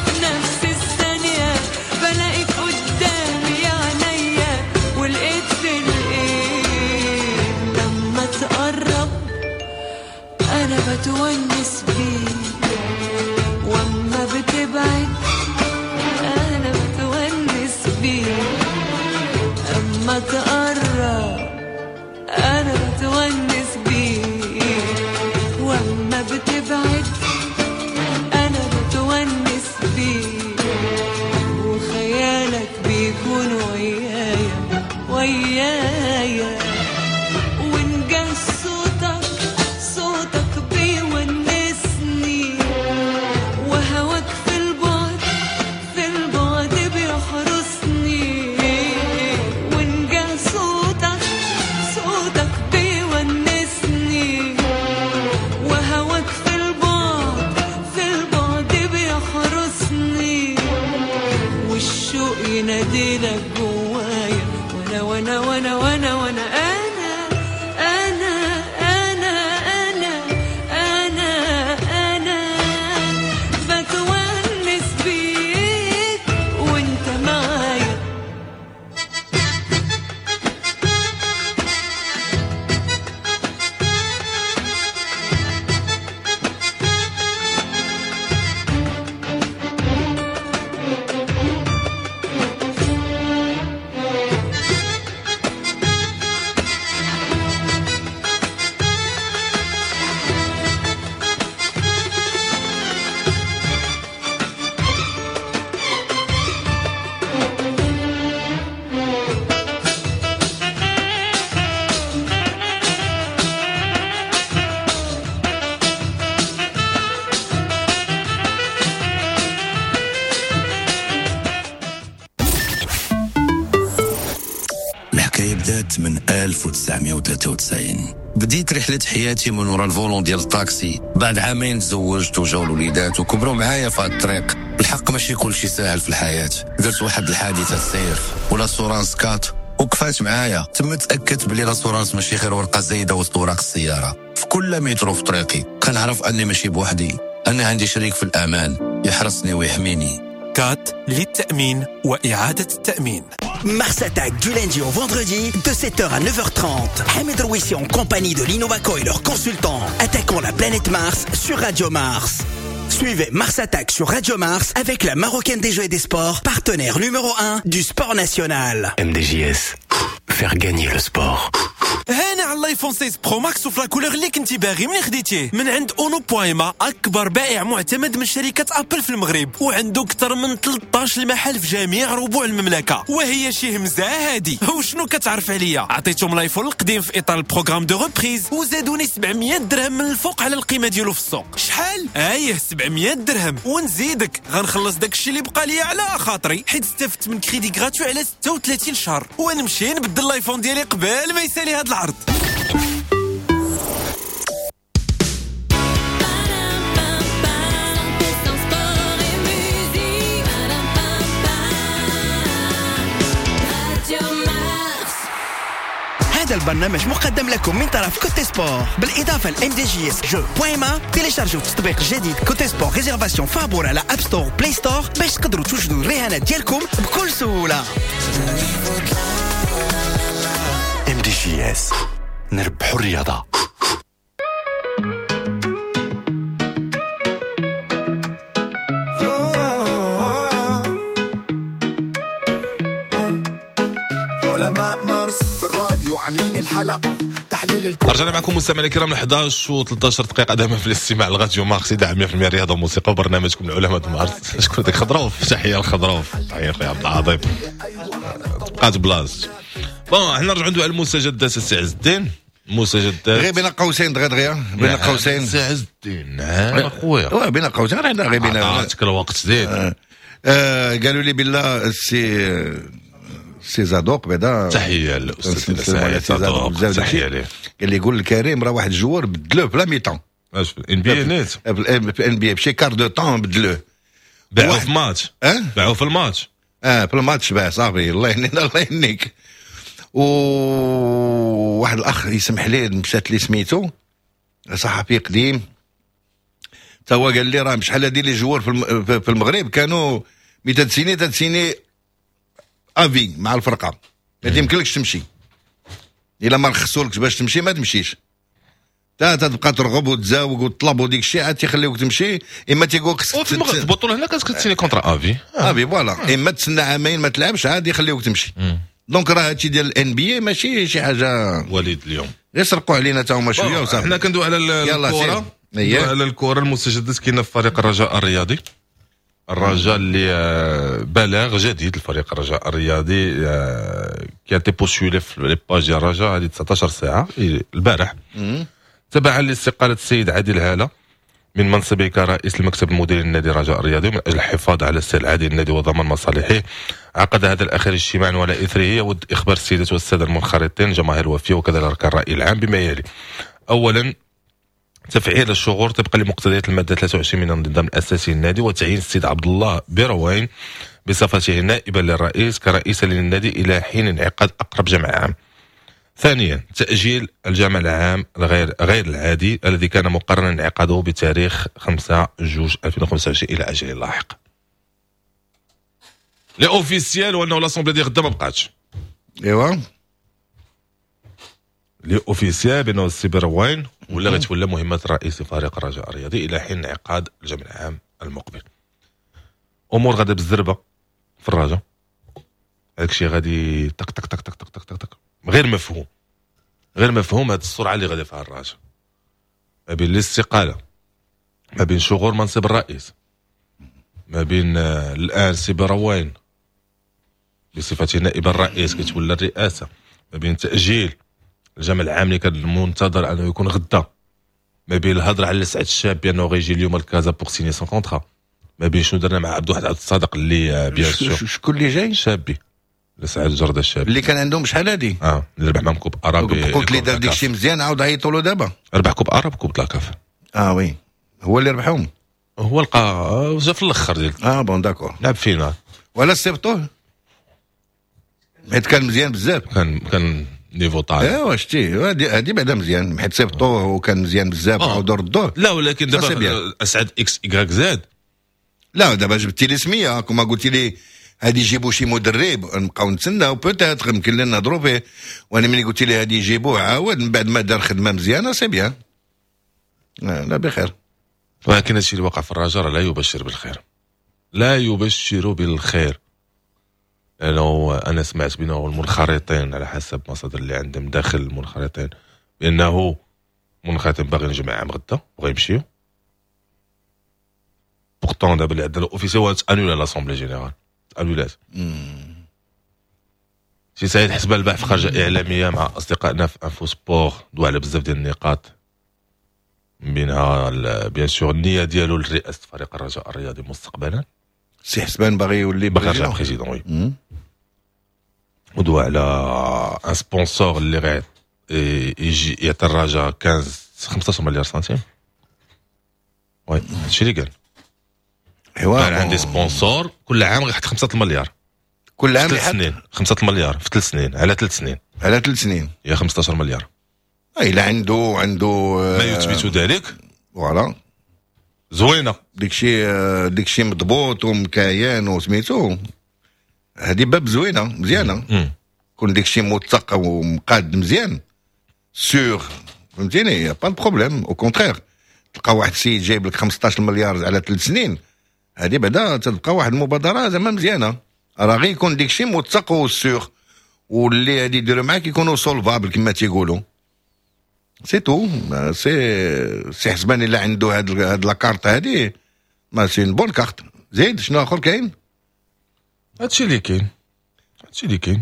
يناديلك جوايا، وانا وانا وانا وانا وانا انا انا انا انا انا انا بتونس بيك وانت معايا. الحكاية بدات من ألف وتسعمية وثلاثة وتسعين. بديت رحلة حياتي من ورا ال volant ديال الطاكسي. بعد عامين تزوجت وجاو الوليدات وكبروا معايا في هاد الطريق. الحق ماشي كل شيء ساهل في الحياة. درت واحد الحادثة سير و l'assurance CAT وقفات معايا. تم تأكدت بلي l'assurance ماشي غير ورقة زايدة وسط وراق السيارة. في كل متر في طريقي كنعرف أني ماشي بوحدي، أنا عندي شريك في الأمان يحرسني ويحميني. CAT للتأمين وإعادة التأمين. Mars Attack du lundi au vendredi de sept heures à neuf heures trente. Hamid Rouissi en compagnie de l'Innovaco et leurs consultants attaquant la planète Mars sur Radio Mars. Suivez Mars Attack sur Radio Mars avec la Marocaine des Jeux et des Sports, partenaire numéro un du sport national. M D J S, faire gagner le sport. هنا على ال iPhone ستة Pro Max وفي la couleur اللي كنتي باغي من خديتيه من عند اونو point ma، اكبر بائع معتمد من شركة Apple في المغرب، وعنده اكثر من ثلاثة عشر محل في جميع ربوع المملكة. وهي شي همزه هادي. وشنو كتعرف عليا؟ عطيتهم ال iPhone القديم في اطار ال programme de reprise وزادوني سبعمية درهم من الفوق على القيمة ديالو في السوق. شحال؟ ايه سبعمية درهم. ونزيدك غنخلص داكشي اللي بقى ليا على خاطري، حيت استفدت من crédit gratuit على ستة وثلاثين شهر، ونمشي نبدل ال iPhone ديالي قبل ما يسالي هاد العرض. هذا البرنامج مقدم لكم من طرف Cote Sport، بالإضافة ل إم دي جي إس جو point ma. تيليشارجوا التطبيق الجديد Cote Sport réservation فابور على App Store Play Store باش تقدروا توجدوا الرهانات ديالكم بكل سهولة. إم دي جي إس نربحوا الرياضة. علماء مارس في الراديو عاملين الحلقة تحليل. رجعنا معكم مستمعينا الكرام أحد عشر وثلاثة عشر دقيقة دائما في الاستماع لراديو مارس إذاعة مية بالمية رياضة وموسيقى وبرنامجكم العلماء مارس. شكون داك خضروف؟ تحية الخضروف، تحية خويا عبد العظيم، بقات بلاصتو. bon حنا نرجعوا ندوي على المستجدات السي عز الدين. المستجدات غير بين قوسين دغيا دغيا بين قوسين سي عز الدين. نعم اخويا واه بين قوسين غير غير بين عطاتك الوقت زيد. آه قالوا لي بالله السي سي زادوق بعدا، تحية للاستاذ سعيد زادوق، تحية ليه. قال لي قول الكريم راه واحد ال joueur بدلوه في la mi-temps. اش في ال NBA نيت في ال NBA بشي quart de temps بدلوه، باعوه في ماتش. اه باعوه في الماتش. اه في الماتش باع صافي. الله يهنينا الله يهنيك. وواحد الاخ يسمح لي مشات لي سميتو، صحفي قديم تا هو قال لي راه شحال هادي les joueurs في المغرب كانوا مي تتسيني تتسيني à vie مع الفرقة، ما يمكنلكش تمشي الا ما رخصولكش باش تمشي ما تمشيش، تا تبقى ترغب وتزاوق وتطلب وديك الشيء عاد تيخليوك تمشي. اما تيقولك في المغرب البطولة هنا كتسيني contrat à vie à vie voilà، اما تسنى عامين ما تلعبش عاد يخليوك تمشي. donc راه هادشي ديال ال NBA ماشي شي حاجة وليد اليوم يسرقوا علينا تا هما شوية وصافي. حنا كندوي على الكره، على الكره المستجدات كاينه في فريق الرجاء الرياضي. الرجاء اللي بلاغ جديد الفريق الرجاء الرياضي qui a été postulé في les pages ديال الرجاء هذه تسعطاش ساعة البارح تبعا لاستقاله السيد عادل هاله من منصبه كرئيس المكتب المديري للنادي الرجاء الرياضي من اجل الحفاظ على السير العادي للنادي وضمان مصالحه. عقد هذا الاخير اجتماعا وعلى اثره يود اخبار السيدات والسادة المنخرطين الجماهير الوفيه وكذلك الراي العام بما يلي: اولا تفعيل الشغور طبقا لمقتضيات المادة ثلاثة وعشرين من النظام الاساسي للنادي وتعيين السيد عبد الله بروين بصفته نائبا للرئيس كرئيسا للنادي الى حين انعقاد اقرب جمع عام. ثانيا، تأجيل الجمع العام الغير غير العادي الذي كان مقررا انعقاده بتاريخ خمسة جوج ألفين وخمسة وعشرين الى اجل لاحق. l'officiel وانه l'assemblée ديال غدا ما بقاتش. ايوا l'officiel بانه السي بروين ولا غيتولى مهمة رئيس فريق الرجاء الرياضي الى حين انعقاد الجمع العام المقبل. امور غادا بالزربه في الرجاء، هذاك الشيء غادي تك تك تك تك تك تك تك تك، غير مفهوم، غير مفهوم هذه السرعة اللي غادي فيها الرجاء، ما بين الاستقالة، ما بين شغور منصب الرئيس، ما بين الان سي بروين بصفته نائب الرئيس كيتولى الرئاسة، ما بين تاجيل الجمع العام اللي كان المنتظر انه يكون غدا، ما بين الهضرة على سعد الشاب بانه غيجي اليوم لكازا pour signer son contrat، ما بين شنو درنا مع عبد الواحد عبد الصادق اللي bien sûr شكون اللي جاي؟ شابي لسعد جرده الشابي اللي كان عندهم شحال هادي، اه اللي ربح معاهم coupe arabe. قلت لي دار ديك الشيء مزيان، عاود عيطوا له دابا ربح coupe arabe coupe la CAF. اه oui هو اللي ربحهم، هو لقى جا في الاخر ديال اه bon d'accord، لعب finale ولا سيبطوه حيت كان مزيان بزاف، كان كان niveau طالع. ايوا شتي هادي بعدا مزيان حيت سيبطوه وكان مزيان بزاف وعاودوا ردوه. لا ولكن دابا اسعد X Y Z. لا دابا جبتي لي سميه كما قلتي لي هادي يجيبوا شي مدرب نبقاو نتسناو peut-être يمكن لنا نهضروا فيه، وانا ملي قلت لي هادي يجيبوه عاود من بعد ما دار خدمة مزيانه c'est bien، لا بخير. ولكن هادشي اللي وقع في الرجاء لا يبشر بالخير، لا يبشر بالخير. لانه انا سمعت بانه المنخرطين على حسب مصادر اللي عندهم داخل المنخرطين بانه منخرطين باغيين يجمع عام غدا بغا يمشيو. pourtant دابا اللي عندنا l'officiel هو annulé l'assemblée générale، annulات. سي سعيد حسب البحث في خرجه اعلامية مع اصدقائنا في Info Sport دوا على بزاف ديال النقاط، من بينها bien sûr النية ديالو لرئاسة فريق الرجاء الرياضي مستقبلا. سي حسبان باغي يولي باغي يرجع président oui، ودوا على un sponsor اللي غير يجي يعطي الرجاء خمسة عشر مليار سنتيم. oui هادشي اللي قال. ايوا كان عندي sponsor كل عام غيحط خمسة المليار، كل عام ثلاث سنين خمسة المليار في ثلاث سنين، على ثلاث سنين، على ثلاث سنين هي خمسة عشر مليار. الا عنده عنده ما يثبت ذلك voilà زوينة داكشي داكشي مضبوط ومكاين وسميتو، هذه باب زوينة مزيانه، كون داكشي موثق ومقاد مزيان sûr فهمتيني، pas problème. au contraire تلقى واحد السيد جايب لك خمسة عشر مليار على ثلاث سنين، هذه بعدا تبقى واحد المبادرة زعما مزيانه، راه غير يكون داكشي موثق و sûr واللي غادي يديروا معاك يكونوا solvables كما تيقولوا c'est tout. سي سي حسبان الا عنده هاد هاد la carte هادي ما c'est une bonne carte. زيد شنو اخر كاين؟ هادشي اللي كاين، هادشي اللي كاين.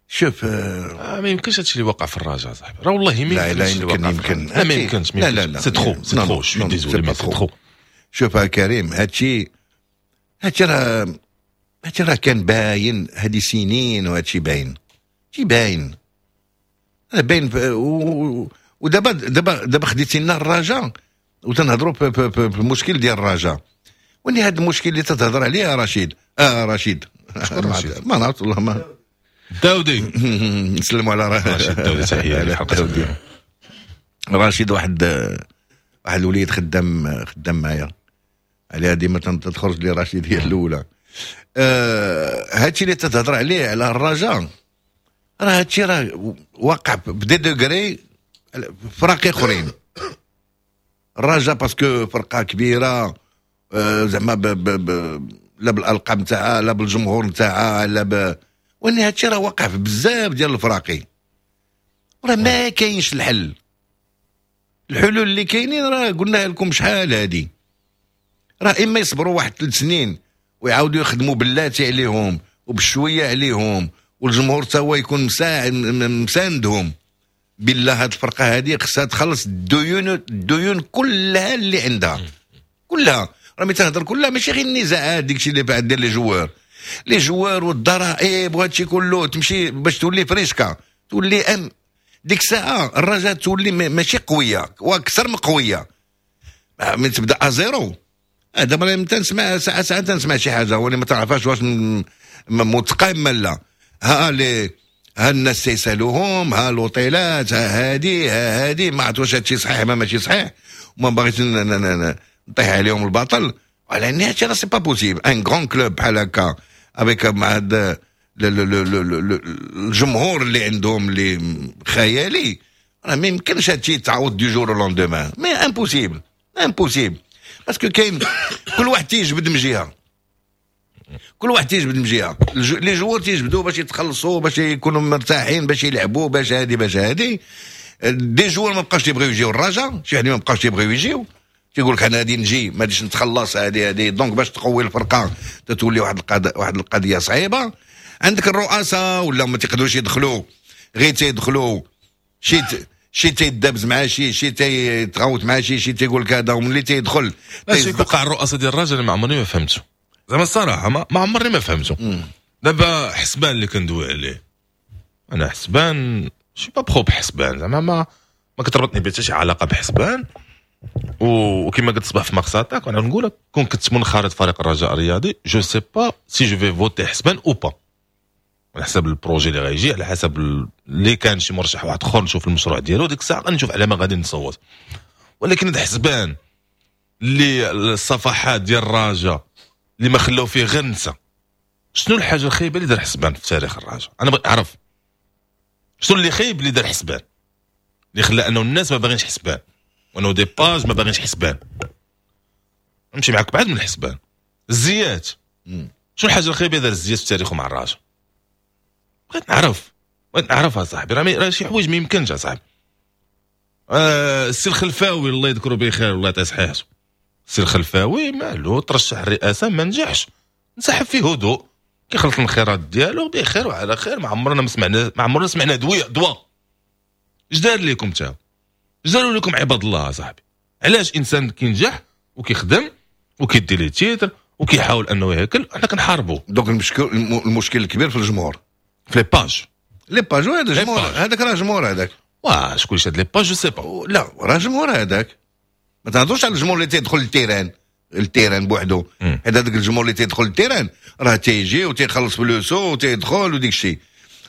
شوف آه ما يمكنش هادشي اللي وقع في الرجاء صاحبي، راه والله ما لا لا يمكن يمكن لا ما يمكنش، لا لا لا c'est trop c'est trop je suis désolé mais c'est trop. شوف يا كريم هادشي هادشي راه هادشي راه كان باين هادي سنين، وهادشي باين، هادشي باين باين. ودابا دابا دابا خديتي لنا الرجاء وتنهضروا في المشكل ديال الرجاء، وني هذا المشكل اللي تتهضر عليه رشيد اه رشيد رشيد ما نعرف والله ما داودي نسلموا على رشيد داودي، تحية لحلقة رشيد. واحد واحد الوليد خدام خدام معايا عليها ديما تخرج لي رشيد هي الاولى. آه هادشي اللي تتهضر عليه على الرجاء راه هادشي راه واقع ب des degrés فراقي اخرين. الرجاء parce que فرقه كبيرة آه زعما لا بالالقاب نتاعها لا بالجمهور نتاعها لا ب وان هادشي راه واقع في بزاف ديال الفراقي، راه ما كاينش الحل. الحلول اللي كاينين راه قلناها لكم شحال هادي، راه اما يصبروا واحد ثلاث سنين ويعاودوا يخدموا باللاتي عليهم وبشويه عليهم، والجمهور تا هو يكون مساعد مساندهم بالله. هاد الفرقة هادي خصها تخلص الديون، الديون كلها اللي عندها كلها، راه ملي تهضر كلها ماشي غير النزاعات داكشي اللي بعد ديال les joueurs، les joueurs والضرائب وهادشي كله تمشي باش تولي فريشكا تولي ام ديك الساعة الرجاء تولي ماشي قوية واكثر من قوية. من تبدا à zéro دابا تنسمع ساعة ساعة تنسمع شي حاجة واللي ما تعرفهاش واش متقيم لا. ها لي ها الناس تيسالوهم، ها لوطيلات، ها هادي ها هادي، ما عرفت واش هادشي صحيح ما ماشي صحيح، وما باغيش نطيح عليهم الباطل. ولكن هادشي راه c'est pas possible، un grand club بحال هكا avec مع هاد الجمهور اللي عندهم اللي خيالي، راه ما يمكنش هادشي يتعوض du jour au lendemain، mais impossible impossible، parce que كاين كل واحد تيجبد من جهة، كل واحد تيجبد من جهة. les joueurs تيجبدوا باش يتخلصوا، باش يكونوا مرتاحين، باش يلعبوا، باش هادي باش هادي. des joueurs ما بقاوش تيبغيو يجيو الرجاء، شي واحد ما بقاوش تيبغيو يجيو، تيقول لك انا غادي نجي ما غاديش نتخلص هادي هادي. donc باش تقوي الفرقة تتولي واحد القضية واحد القضية صعيبة. عندك الرؤساء ولا ما تيقدروش يدخلوا، غير تيدخلوا شي شي تيدابز مع شي، شي تيتغوت مع شي، شي تيقول كذا، وملي تيدخل ماشي كيوقع. الرؤساء ديال الرجاء ما عمرني ما فهمته، زعما الصراحة ما, ما عمرني ما فهمته. دابا حسبان اللي كندوي عليه انا، حسبان je suis pas pro بحسبان، زعما ما ما كتربطني به حتى شي علاقة بحسبان. وكما قلت صباح في Mars Attack، وانا نقول لك كون كنت منخرط فريق الرجاء الرياضي، je sais pas si je vais voter حسبان ou pas، على حسب ال projet اللي غيجي، على حسب اللي كان شي مرشح واحد اخر نشوف المشروع ديالو، ديك الساعة غنشوف على ما غادي نصوت. ولكن هذا حسبان اللي الصفحات ديال الرجاء اللي ما خلاو فيه غير نساء، شنو الحاجة الخايبة اللي دار حسبان في تاريخ الرجاء؟ انا بغيت نعرف شنو اللي خايب اللي دار حسبان اللي خلى انه الناس ما باغينش حسبان، وانه des pages ما باغينش حسبان. نمشي معاك بعد من الحسبان. الزيات، شنو الحاجة الخايبة دار الزيات في تاريخه مع الرجاء؟ بغيت نعرف، بغيت نعرفها صاحبي، راه شي حوايج ما يمكنش اصاحبي. آه السي الخلفاوي الله يذكره بخير والله يعطيه صحيحته، السي الخلفاوي مالو ترشح الرئاسة ما نجحش، انسحب في هدوء، كيخلط الخيرات ديالو بخير وعلى خير، ما عمرنا ما سمعنا ما عمرنا سمعنا دواء دواء. اش دار لكم تا؟ اش داروا لكم عباد الله صاحبي؟ علاش انسان كينجح وكيخدم وكيدي les titres وكيحاول انه ياكل، حنا كنحاربوا؟ donc المشكل المشكل الكبير في الجمهور، في les pages. les pages، هذا جمهور، هذاك راه جمهور هذاك. واه شكون شاد les pages؟ je sais pas. لا راه جمهور هذاك، ما تهضروش على الجمهور اللي تيدخل لل terrain، ال terrain بوحدو. هذا داك الجمهور اللي تيدخل لل terrain راه تيجي وتيخلص فلوسو وتيدخل وديك الشيء.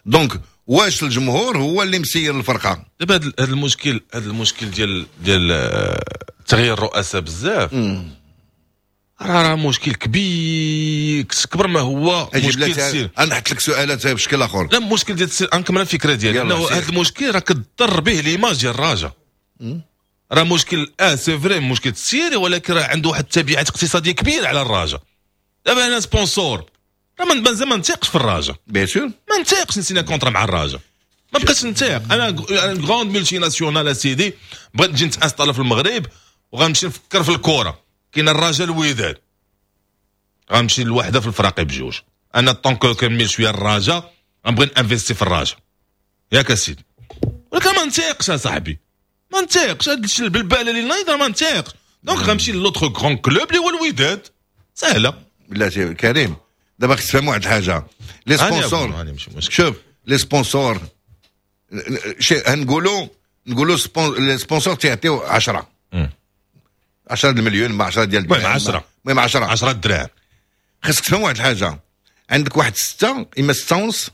donc واش الجمهور هو اللي مسير الفرقة؟ دابا هذا المشكل، هذا المشكل ديال ديال تغيير الرؤساء بزاف راه راه مشكل كبير، كبر ما هو مشكل السير. انا نحط لك سؤالات بشكل اخر. لا مشكل ديال السير، نكمل الفكرة ديالي، انه هذا المشكل راه كضر به l'image ديال الرجاء. راه مشكل اه c'est vrai مشكل التسييري، ولكن راه عنده واحد التبعات اقتصادية كبيرة على الرجاء. دابا انا sponsor راه ما ما نثيقش في الرجاء. bien sûr. ما نثيقش نسينا contrat مع الرجاء، ما بقيتش نثيق. انا grande multinationale سيدي، بغيت نجي نت installer في المغرب وغنمشي نفكر في الكره، كاين الرجاء الوداد، غنمشي لوحده في الفراقي بجوج. انا tant que كنميل شوية الرجاء، غنبغي investir في الرجاء ياك اسيدي، ولكن ما نثيقش اصاحبي، ما نثيقش هاد البلباله اللي نايضه، ما نثيقش. donc غنمشي l'autre grand club اللي هو الوداد، سهلة. بلاتي كريم، دابا خصك تفهم واحد الحاجة، les sponsors، شوف les sponsors، نقولوا نقولوا les sponsors تيعطيو عشرة عشرة المليون مع عشرة ديال المهم عشرة. المهم عشرة. عشرة دراهم. خاصك تفهم واحد الحاجه، عندك واحد ستة اما ستة ونص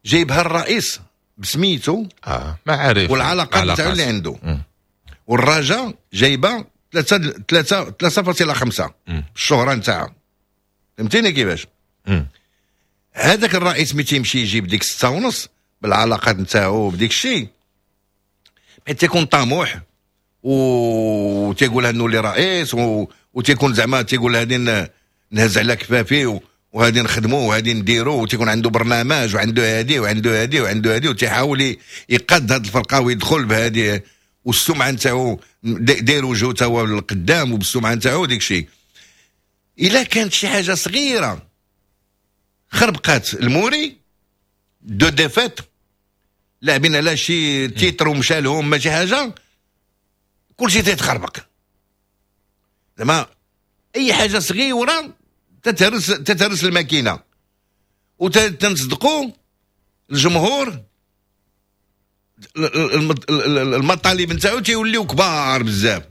جايبها الرئيس بسميتو اه ما عارف والعلاقات تاعو اللي عنده، والرجاء جايبه ثلاثة ثلاثة ثلاثة فاصلة خمسة الشهرة نتاعها. فهمتيني كيفاش؟ هذاك الرئيس ملي تيمشي يجيب ديك ستة ونص بالعلاقات نتاعو بديك الشيء، حيت تيكون طموح وتيقول نولي رئيس و... وتيكون زعما تيقول هادي نهز على كفافي وغادي نخدمو وغادي نديرو، وتيكون عنده برنامج وعنده هادي وعنده هادي وعنده هادي، وتيحاول يقاد هاد الفرقة ويدخل بهادي، والسمعة نتاعو داير وجهه تا هو القدام وبالسمعه نتاعو ديك الشيء. الا كانت شي حاجة صغيرة خربقات الموري، deux défaites لاعبين على شي titre ومشى لهم ماشي حاجه، كلشي تيتخربق. زعما اي حاجة صغيرة تتهرس تتهرس الماكينه، وتنصدقوا الجمهور المطالب نتاعو تيوليو كبار بزاف.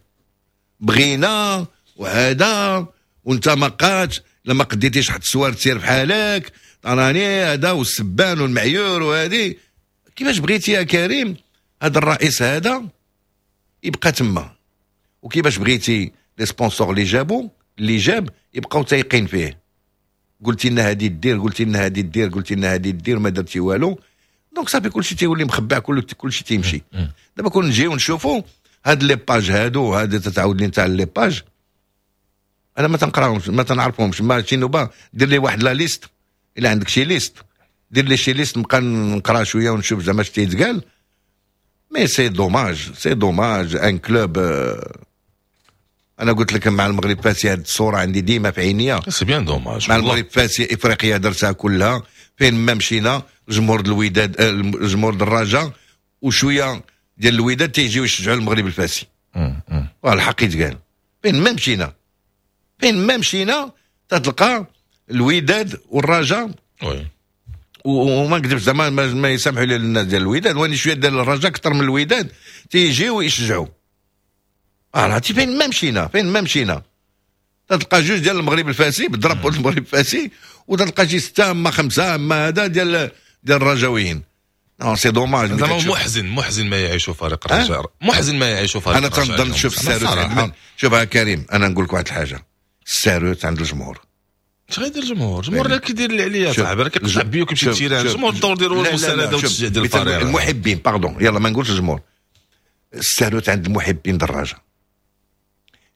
بغينا وهذا وانت ما قاتش لما قديتيش حط السوار تسير بحالك راني هذا والسبان والمعيور وهذه. كيفاش بغيتي يا كريم هذا الرئيس هذا يبقى تما؟ وكيفاش بغيتي les sponsors اللي جابوا اللي جاب يبقاو تايقين فيه؟ قلتي لنا هذه دير، قلتي لنا هذه دير، قلتي لنا هذه دير، ما درتي والو. donc صافي كلشي تيولي مخبع، كل كلشي تيمشي. دابا كون نجيو نشوفوا هاد les pages هادو، هاد تتعاود لي نتاع les pages، انا ما تنقراهمش ما تنعرفهمش. ما شي نوبه دير لي واحد la liste، الا عندك شي liste دير لي شي liste نبقى نقرا شوية ونشوف زعما اش تيتقال. mais c'est dommage، c'est dommage un club. انا قلت لك مع المغرب فاسي هاد الصورة عندي ديما في عينيا. c'est bien dommage. مع المغرب فاسي افريقيا درتها كلها، فين ما مشينا الجمهور الوداد، الجمهور الرجاء وشوية ديال الوداد تيجيو يشجعوا المغرب الفاسي. الحق يتقال، فين ما مشينا فين ما مشينا تتلقى الوداد والرجاء. oui وما نكذبش زعما ما يسامحوا لي الناس ديال الوداد، واني شوية ديال الرجاء اكثر من الوداد تيجيو يشجعوا. اه فين ما مشينا فين ما مشينا تلقى جوج ديال المغرب الفاسي بال drapeau المغرب الفاسي، وتلقى شي ستة اما خمسة اما هذا ديال ديال الرجاويين. non c'est dommage. زعما محزن، محزن ما يعيشوا فريق الرجاء، محزن ما يعيشوا فريق انا تنظن شوف الساروت. شوف يا كريم، انا نقول لك واحد الحاجة، الساروت عند الجمهور. اش غيدير الجمهور؟ الجمهور راه كيدير اللي عليا صاحبي، راه كيقطع بيو وكيمشي لل terrain. الجمهور الدور ديالو هو المساندة والتشجيع ديال الفريق. المحبين pardon، يلا ما نقولش الجمهور، الساروت عند المحبين الرجاء.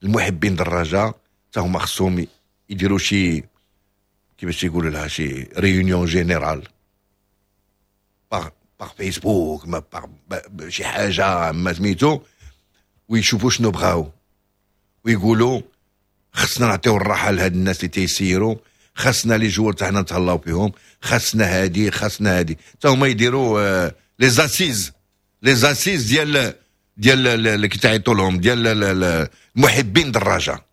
المحبين الرجاء حتى هما خصهم يديروا شي كيفاش يقولوا لها شي réunion générale par par فيسبوك ما par شي حاجة ما سميتو، ويشوفوا شنو بغاو ويقولوا خصنا نعطيو الراحة لهاد الناس اللي تيسيروا، خاصنا les joueurs تاعنا نتهلاو فيهم، خاصنا هادي خاصنا هادي. حتى هما يديروا les assises، les assises ديال ديال اللي كيتعيطوا لهم ديال المحبين الرجاء.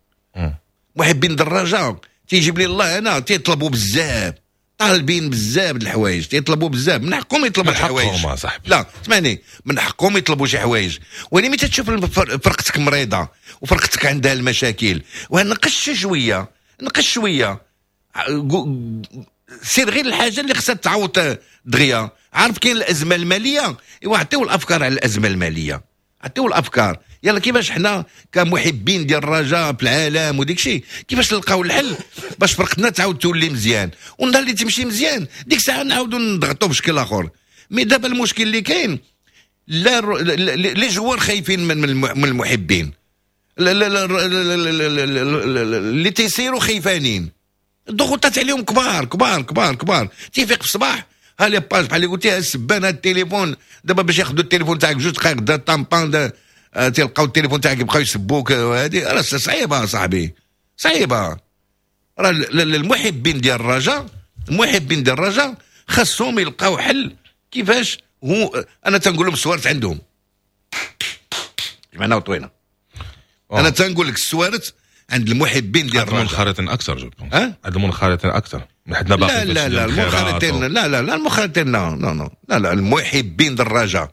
محبين الرجاء تيجيب لي الله انا تيطلبوا بزاف، طالبين بزاف د الحوايج، تيطلبوا بزاف، من حقهم يطلبوا الحوايج. لا اسمعني، من حقهم يطلبوا شي حوايج، ولكن ملي تشوف فرقتك مريضه وفرقتك عندها المشاكل، ونقش شوية نقش شوية، سير غير الحاجة اللي خصها تعوض دغيا. عارف كاين الازمة المالية، ايوا عطيو الافكار على الازمة المالية، عطيو الافكار. يلا كيفاش حنا كمحبين ديال الرجاء في العالم وديك الشيء كيفاش نلقاو الحل باش فرقتنا تعاود تولي مزيان، والنهار اللي تمشي مزيان ديك الساعة نعاودوا نضغطوا بشكل اخر. mais دابا المشكل اللي كاين، لا les joueurs خايفين من من المحبين، اللي تيسيروا خايفانين، الضغوطات عليهم كبار كبار كبار كبار. تيفيق في الصباح ها les pages بحال اللي قلتي، السبان، ها التليفون. دابا باش ياخذوا التليفون تاعك جوج دقائق دا طامبان تلقاو التليفون تاعك يبقاو يسبوك، وهذه راه صعيبة صاحبي، صعيبة. راه المحبين ديال الرجاء، المحبين ديال الرجاء خاصهم يلقاو حل كيفاش. هو انا تنقول لهم السوارت عندهم معناها طويلة. انا تنقول لك السوارت عند المحبين ديال الرجاء. المنخرطين اكثر je pense، عند المنخرطين اكثر. حنا باقي لا لا لا المنخرطين لا لا لا المنخرطين لا لا لا لا المحبين ديال الرجاء،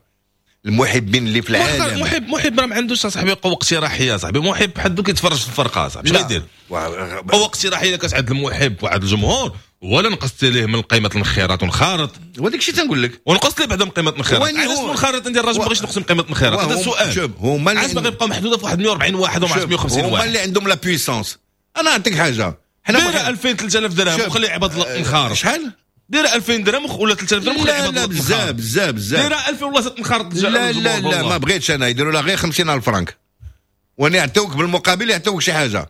المحبين اللي في العالم. محب محب راه ما عندوش صاحبي قوة اقتراحيه صاحبي، محب حدو كيتفرج في الفرقة صاحبي، اش غيدير؟ قوة اقتراحيه كتعد المحب وعند الجمهور، ولا نقصت ليه من قيمة الانخراط ونخارط، وهذاك الشيء تنقول لك ونقصت ليه بعدا من قيمة الانخراط. علاش المنخرطين ديال الرجاء ما بغيتش نقص من قيمة الانخراط؟ هذا السؤال. شوف هما علاش باغي يبقاو محدودة في واحد مية وأربعين واحد وما مية وخمسين واحد؟ هما اللي عندهم la puissance. انا نعطيك حاجة، حنا دير ألفين ثلاثة آلاف درهم وخلي عباد الله انخرط. شحال؟ دير ألفين درهم ولا ثلاثة آلاف درهم وخلي عباد الله. لا بزاف بزاف بزاف. دير ألفين والله تنخرط. لا لا لا ما بغيتش انا، يديروا لها غير خمسين ألف فرنك، وانا يعطيوك بالمقابل يعطيوك شي حاجة.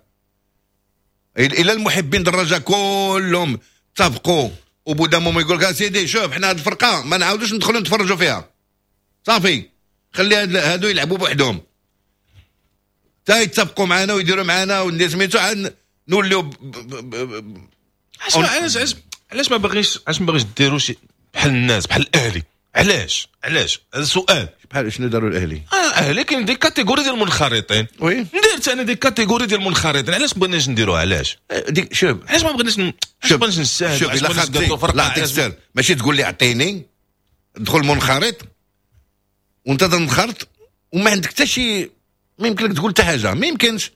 الى المحبين الرجاء كلهم اتفقوا وبودامهم يقول لك سيدي شوف حنا هاد الفرقة ما نعاودوش ندخلوا نتفرجوا فيها، صافي خلي هادو يلعبوا بوحدهم تا يتفقوا معنا ويديروا معنا وندير سميتو عاد نوليو. علاش علاش علاش ما باغيش علاش ما باغيش ديروا شي بحال الناس بحال الاهلي؟ علاش علاش هذا السؤال. بحال شنو داروا الاهلي؟ اه الاهلي كاين des catégories ديال المنخرطين. oui ندير انا des catégories ديال المنخرطين. علاش ما بغيناش نديروها؟ علاش ديك شوف علاش ما بغيناش علاش ما بغيناش نساهلوا؟ شوف الا خدتي لا عطيك السر، ماشي تقول لي عطيني دخل منخرط وانت تنخرط وما عندك حتى شي، ما يمكن لك تقول حتى حاجة، ما يمكنش.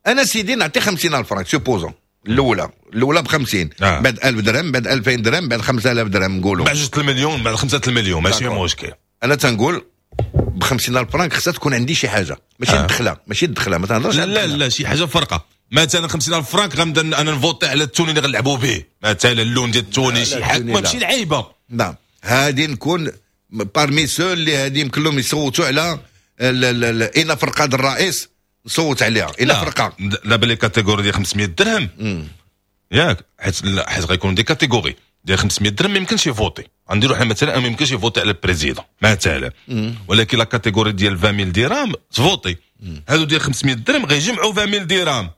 انا سيدي نعطي خمسين الف فرانك supposons، الاولى الاولى ب خمسين، آه. بعد ألف درهم، بعد ألفين درهم، بعد خمسة آلاف درهم نقولوا، بعد جوج المليون، بعد خمسة المليون، ماشي مشكل. انا تنقول ب خمسين الف فرانك خصها تكون عندي شي حاجه، ماشي آه. الدخله، ماشي الدخله، ما تنهضرش لا على لا الدخلة. لا، شي حاجة فرقه، مثلا خمسين الف فرانك غنبدا انا نفوتي على ال tenue اللي غنلعبوا به، مثلا اللون ديال ال tenue، شي حاجه، ال tenue لا. ماشي لعيبه. نعم، هادي نكون parmi ceux اللي هادي يمكن لهم يصوتوا على ال- ال- ال- اين فرقه الرئيس نصوت عليها، اين فرقه. دابا les catégories ديال خمسمية درهم ياك، حيت لا، حيت غيكونوا des catégories ديال خمسمية درهم ما يمكنش يفوتي، غنديروا حنا مثلا ما يمكنش يفوتي على ال président مثلا، ولكن la catégorie ديال عشرين ألف درهم تفوتي. هادو ديال خمسمية درهم غيجمعوا عشرين ألف درهم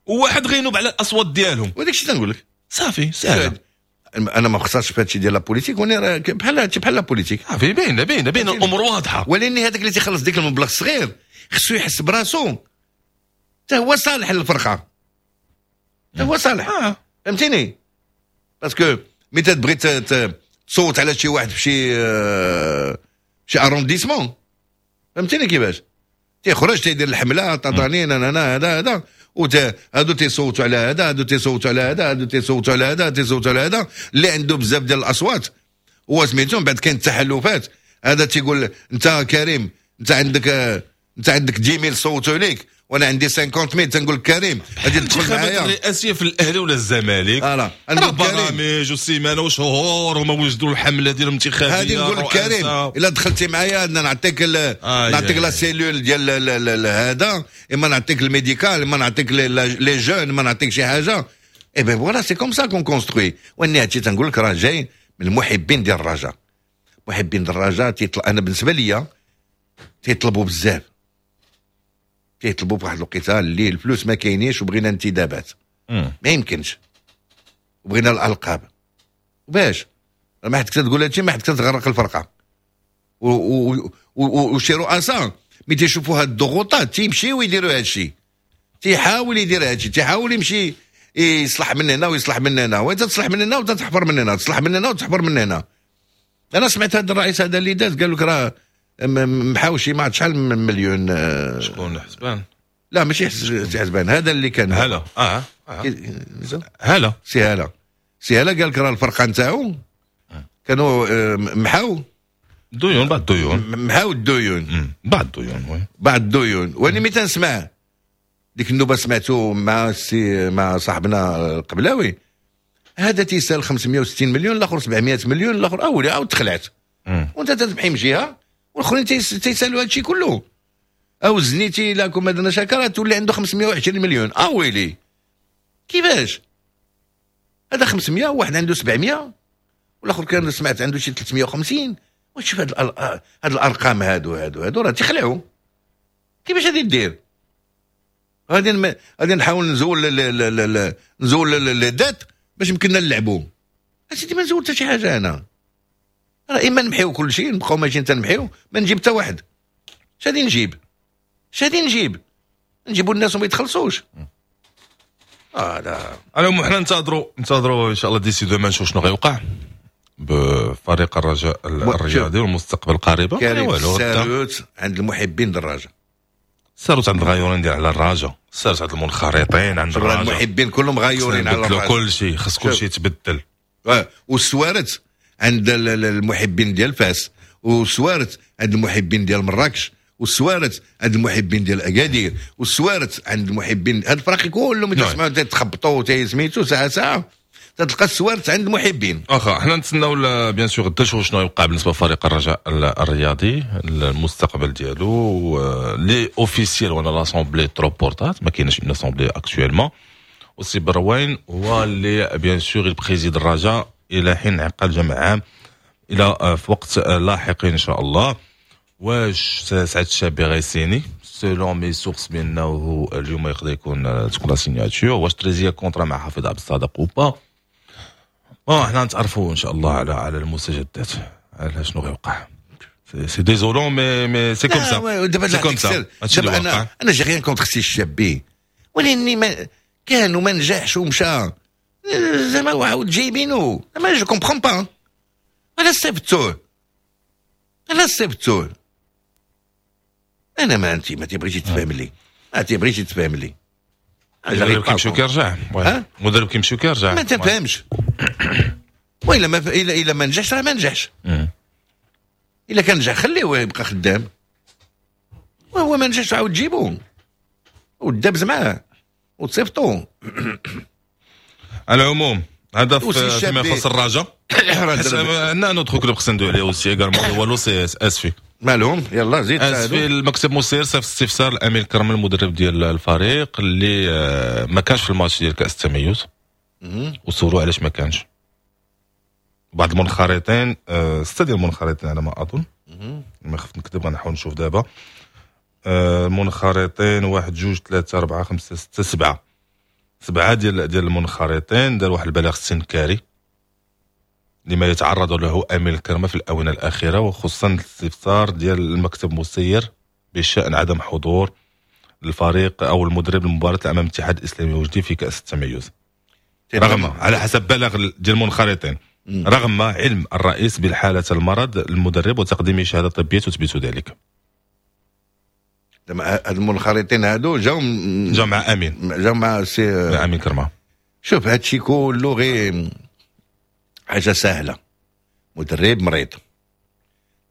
وواحد غينوب على الاصوات ديالهم. وداك الشيء تنقول لك. صافي، سهله. انا ما خصهاش في هادشي ديال la politique، وانا راه بحال هادشي بحال la politique. صافي، باينة باينة باينه، الامور واضحه. ولكن هذاك اللي تيخلص ديك المبلغ الصغير خصو يحس براسو حتى هو صالح للفرقه، حتى هو صالح. آه. فهمتيني؟ parce que ملي تبغي ت- ت- تصوت على شي واحد في شي آه، شي arrondissement، فهمتيني كيفاش؟ تيخرج تيدير الحملة طاطاني انا انا هذا هذا، وت- هادو تيصوتوا على هذا، هادو تيصوتوا على هذا، هادو تيصوتوا على هذا، تيصوتوا على هذا، اللي عنده بزاف ديال الاصوات هو سميتو. من بعد كاين التحالفات، هذا تيقول انت كريم انت عندك آه، انت عندك عشرة ألف صوتوا عليك وانا عندي خمسين ألف، تنقول كريم غادي تدخل الانتخابات معايا. الرئاسية في الاهلي ولا الزمالك آه لا. راه نقول كريم. برامج وسيمانه وشهور هما وجدوا الحملة ديال الانتخابيه. هذه نقول لك كريم الا دخلتي معايا انا نعطيك ال... آه نعطيك يا- la cellule ديال ال- ال- ال- هذا، اما نعطيك ال médical، اما نعطيك les les jeunes، اما نعطيك شي حاجه. et ben voilà، c'est comme ça qu'on construit. واني هادشي تنقول لك راه جاي من المحبين ديال الرجاء، محبين ديال الرجاء تيطل... انا بالنسبة ليا تيطلبوا بزاف، تيطلبوا بواحد الوقيته اللي الفلوس ما كاينينش وبغينا انتدابات، ما يمكنش، وبغينا الالقاب باش ما حد تقول هادشي، ما حد تغرق الفرقه. وشي رؤساء ملي تيشوفوا هاد الضغوطات تيمشيو يديروا هادشي، تيحاول يدير هادشي، تيحاول يمشي يصلح من هنا ويصلح من هنا، وانت تصلح من هنا وتحفر من هنا، تصلح من هنا وتحفر من هنا. انا سمعت هذا الرئيس هذا اللي داز قال لك راه محاوشي ما عرفت شحال من مليون. آه، شكون، حسبان؟ لا، ماشي سي حسبان، هذا اللي كان. هلا اه, آه. هلا. سي هلا، سي هلا قال لك راه الفرقة نتاعو كانوا آه، محاو ديون، بعض الديون. محاو الديون. بعض الديون، oui. بعض الديون. وانا ملي تنسمع ديك النوبة سمعتو مع السي مع صاحبنا القبلاوي، هذا تيسال خمسمية وستين مليون، الاخر سبعمية مليون، الاخر اولي عاود تخلعت. وانت تتمحي من جهة والاخرين تيسالوا هادشي كله، او زنيتي لكم مدنا شكرا تولي عنده خمسمية وعشرين مليون. اويلي كيفاش؟ هذا خمسمية، وواحد عنده سبعمية، والاخر كان سمعت عنده شي ثلاثمية وخمسين. وشوف هاد هاد الارقام هادو هادو هادو راه تيخلعوا. كيفاش غادي دير؟ غادي غادي نحاول نزول نزول les dettes باش يمكننا نلعبوا. اسيدي ما نزول حتى شي حاجة انا، راه اما نمحيو كل شيء، نبقاو ماشيين تنمحيو، ما نجيب حتى واحد. اش غادي نجيب؟ اش غادي نجيب؟ نجيبوا الناس وما يتخلصوش. اه لا. على العموم حنا ننتظروا ننتظروا ان شاء الله d'ici demain نشوف شنو غيوقع بفريق الرجاء الرياضي والمستقبل قريبا. كريم، الساروت عند المحبين الرجاء. الساروت عند الغيورين ديال على الرجاء، الساروت عند المنخرطين عند الرجاء. المحبين كلهم غيورين على الرجاء. كل شيء خص كل شيء يتبدل. والسوارت عند المحبين ديال فاس، وسوارت عند المحبين ديال مراكش، والسوارت عند المحبين ديال اكادير، والسوارت عند المحبين هاد الفرق كلهم. نعم. تسمعوا تخبطوا سميتو ساعة ساعة تلقى السوارت عند المحبين. واخا، حنا نتسناو bien sûr غدا نشوفوا شنو يوقع بالنسبة لفريق الرجاء الرياضي، المستقبل ديالو les officiels وانا l'assemblée تروبورتات، ما كاينش une assemblée actuellement، وسي بروين هو اللي bien sûr ال préside الرجاء الى حين انعقاد جمع عام الى في وقت لاحق ان شاء الله. واش سعد الشابي غيسيني؟ selon mes sources بانه اليوم يقدر يكون تكون la signature. واش تريزيا contrat مع حفيظ عبد الصادق ou pas؟ bon، حنا نتعرفوا ان شاء الله على على المستجدات، على شنو غيوقع. c'est désolant mais mais c'est comme ça. دابا c'est comme ça. دابا انا انا j'ai rien contre سي الشابي، ولاني ما كان وما نجحش ومشى، زعما عاود جايبينو، ما je comprends pas. علاش صيفطوه؟ علاش صيفطوه؟ انا ما انت ما تبغيش تفهم لي، ما تبغيش تفهم لي. المدرب كيمشي وكيرجع، المدرب كيمشي وكيرجع، ما تفهمش. وإلا ما الا الا ما نجحش راه ما نجحش. الا كان نجح خليه يبقى خدام، وهو ما نجحش عاود تجيبو ودابز معاه وتصيفطو. على العموم هذا فيما يخص الرجاء. عندنا un autre club خصنا ندوي عليه aussi également، هو l'OCS اسفي. مالهم؟ يلا زيد. اسفي المكتب مسير صيفط استفسار لامين كرم المدرب ديال الفريق اللي ما كانش في الماتش ديال كاس التميز، وصوروا علاش ما كانش. بعض المنخرطين، ستة ديال المنخرطين على ما اظن، ما خفت نكذب غنحاول نشوف دابا. المنخرطين واحد جوج ثلاثة أربعة خمسة ستة سبعة، سبعة ديال ديال المنخرطين دار واحد البلاغ استنكاري لما يتعرض له أمين الكرمة في الآونة الأخيرة، وخصوصا الاستفسار ديال المكتب المسير بشأن عدم حضور الفريق أو المدرب للمباراة أمام الاتحاد الإسلامي وجدي في كأس التميز، رغم على حسب بلاغ ديال المنخرطين، رغم علم الرئيس بالحالة المرض المدرب وتقديم شهادة طبية تثبت ذلك. هاد المنخرطين هادو جاو جاو مع امين، جاو مع سي مع امين كرمه. شوف هادشي كله غير حاجة سهلة. مدرب مريض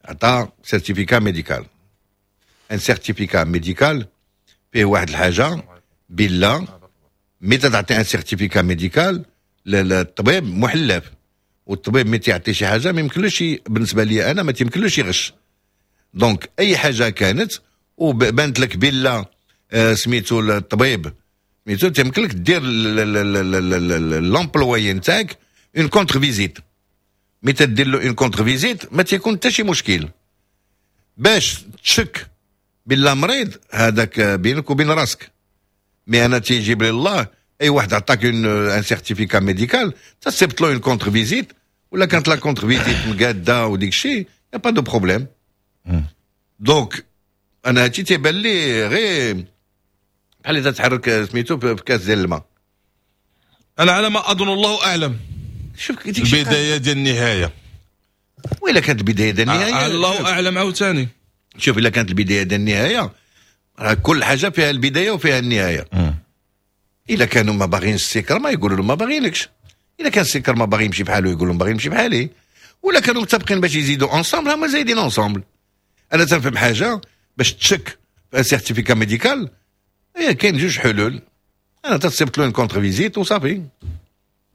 عطى certificat médical، un certificat médical فيه واحد الحاجة بلا مي تعطي un certificat médical للطبيب محلف، والطبيب مي تيعطي شي حاجة ما يمكنلوش، بالنسبة لي انا ما تيمكنلوش يغش. donc اي حاجة كانت وبانت لك بلا سميتو الطبيب سميتو، تيمكن لك دير l'employé نتاعك une contre-visite. مي تدير له une contre-visite ما تيكون حتى شي مشكل. باش تشك بلا مريض هذاك بينك وبين راسك. mais انا تيجيب لي الله اي واحد عطاك un certificat médical تصيفط له une contre-visite، ولا كانت la contre-visite مقاده وديك الشيء y a pas de problème. donc انا هادشي تيبان لي غير بحال اللي تتحرك سميتو في كاس ديال الماء. انا على ما اظن الله اعلم. شوف البداية ديال النهاية، وإلا كانت البداية ديال النهاية الله اعلم عاوتاني. شوف الا كانت البداية ديال النهاية راه كل حاجة فيها البداية وفيها النهاية. الا كانوا ما باغيين السي كرمه يقولوا لهم ما باغينكش، الا كان السي كرمه باغي يمشي بحالو يقولوا لهم باغي يمشي بحالي، ولا كانوا متفقين باش يزيدوا ensemble هما زايدين ensemble. انا تنفهم حاجة باش تشك في un certificat médical كاين جوج حلول. انا تصيفط له une contre-visite وصافي،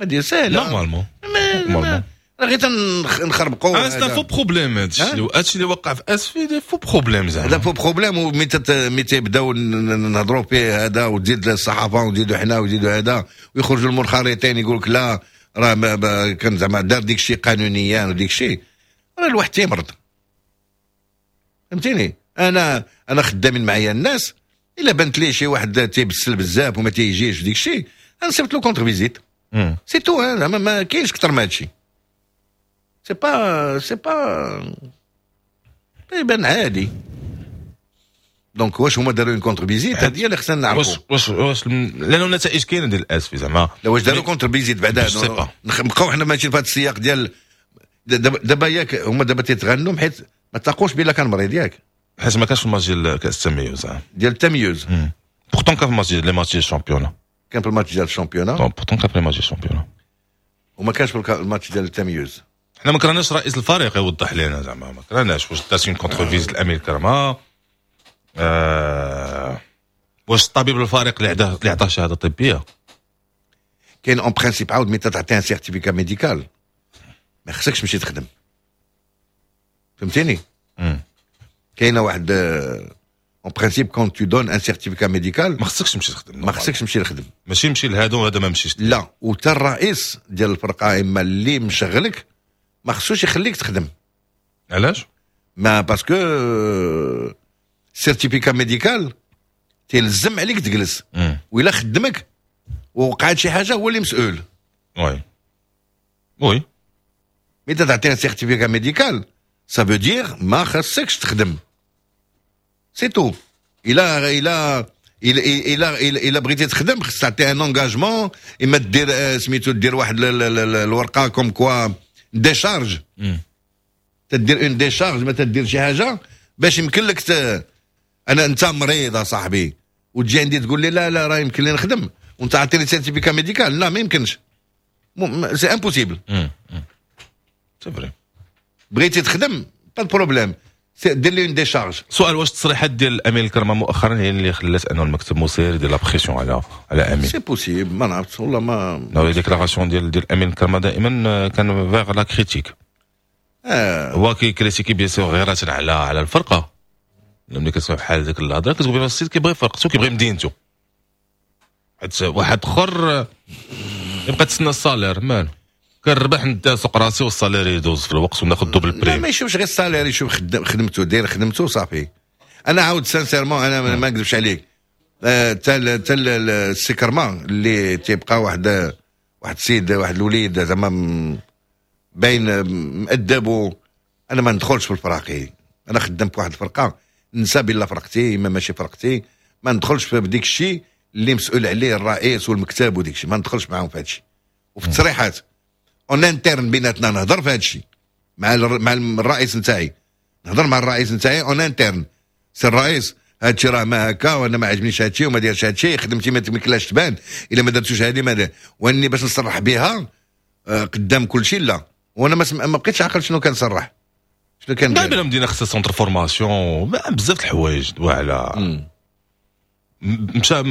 هادي ساهله normalement. راه غير تنخربقوا. c'est un faux problème هادشي، هادشي اللي وقع في اسفي des faux problèmes زعما. هذا faux problème، ومي مي تيبداو نهضروا فيه هذا وتزيد الصحافة وتزيدوا حنا ويزيدوا هذا ويخرجوا المنخرطين يقول لك لا راه كان زعما دار ديك الشيء قانونيا وديك الشيء، راه الواحد تيمرض. فهمتيني؟ انا انا خدامين معايا الناس، الا بانت لي شي واحد تيبسل بزاف وما تيجيش وديك الشيء نصيفط له contre-visite، c'est tout. زعما ما كاينش اكثر من هادشي. c'est pas c'est pas يبان عادي. donc واش هما داروا une contre-visite؟ هذه هي اللي خصنا نعرفوا. واش واش لانه النتائج كاينه ديال الاسفي زعما. لا واش داروا contre-visite بعدا؟ نبقاو حنا ماشيين في هذا السياق ديال دابا ياك هما دابا تيتغنوا حيت ما تاقوش بلا كان مريض ياك، حيت ما كانش في الماتش ديال كاس التميز ديال التميز. pourtant كان في الماتش ديال les matchs ديال ال championnat، كان في الماتش ديال ال championnat، pourtant كان في الماتش ديال ال championnat وما كانش في الماتش ديال التميز. حنا ما كرهناش رئيس الفريق يوضح لنا زعما، ما كرهناش واش دارت une contre-visite الامين كرمه، آه واش الطبيب الفريق اللي عطاه اللي عطاه شهادة طبية. كاين en principe عاود ملي تعطي un certificat médical ما خصكش تمشي تخدم، فهمتيني؟ كاينه واحد en principe quand tu donnes un certificat médical ما خصكش تمشي تخدم، ما خصكش تمشي تخدم، ماشي نمشي لهذا وهذا ما مشيش. لا، وتا الرئيس ديال الفرقة اما اللي مشغلك ما خصوش يخليك تخدم. علاش؟ ما parce que certificat médical تيلزم عليك تجلس، وإلا خدمك وقعت شي حاجة هو اللي مسؤول. oui oui mais تعطي un certificat médical ça veut dire ما خصكش تخدم، c'est tout. الا الا الا الا بغيتي تخدم خصك تعطي un engagement، اما دير سميتو دير واحد الورقة comme quoi décharge، تدير une décharge، ما تدير شي حاجة باش يمكن لك ت... انا انت مريض صاحبي وتجي عندي تقول لي لا لا راه يمكن لي نخدم. وانت عطيني certificat médical، لا ما يمكنش، c'est impossible. c'est vrai. بغيتي تخدم pas problème، دير لي une décharge. سؤال، واش التصريحات ديال امين الكرمة مؤخرا هي اللي خلات انه المكتب مسير يدير la pression على على امين؟ c'est possible، ما نعرفتش والله ما les déclarations ديال ديال امين الكرمة دائما كان vers la critique. آه. هو كي critiquer bien sûr غيرة على على الفرقه. ملي كتسمع بحال ديك الهضرة كتقول بان السيد كيبغي فرقته، كيبغي مدينته، حيت واحد اخر يبقى تسنى ال salaire، مالو كنربح ندا سوق راسي وال salaire يدوز في الوقت وناخذ double prime. لا ما يشوفش غير ال salaire، يشوف خدمته، داير خدمته صافي. انا عاود sincèrement انا ما نكذبش عليك، تا تا السي كرما اللي تيبقى واحد واحد السيد، واحد الوليد زعما باين مؤدب، انا ما ندخلش في الفراقي. انا خدام في واحد الفرقة، نسى بلا فرقتي ما ماشي فرقتي، ما ندخلش في ديك الشيء اللي مسؤول عليه الرئيس والمكتب وديك الشيء، ما ندخلش معاهم في هذا الشيء. وفي التصريحات en interne بيناتنا نهضر في هذا الشيء مع مع الرئيس نتاعي، نهضر مع الرئيس نتاعي en interne، سي الرئيس هذا الشيء راه ما هكا، وانا ما عجبنيش هذا الشيء وما ديرش هذا الشيء، خدمتي ما تمكلاش تبان الا ما درتوش هذه ما واني باش نصرح بها آه، قدام كل شيء لا. وانا ما, ما بقيتش عاقل شنو كنصرح شنو كان. لا بلا مدينة خصها centre formation، بزاف الحوايج دوا على مشى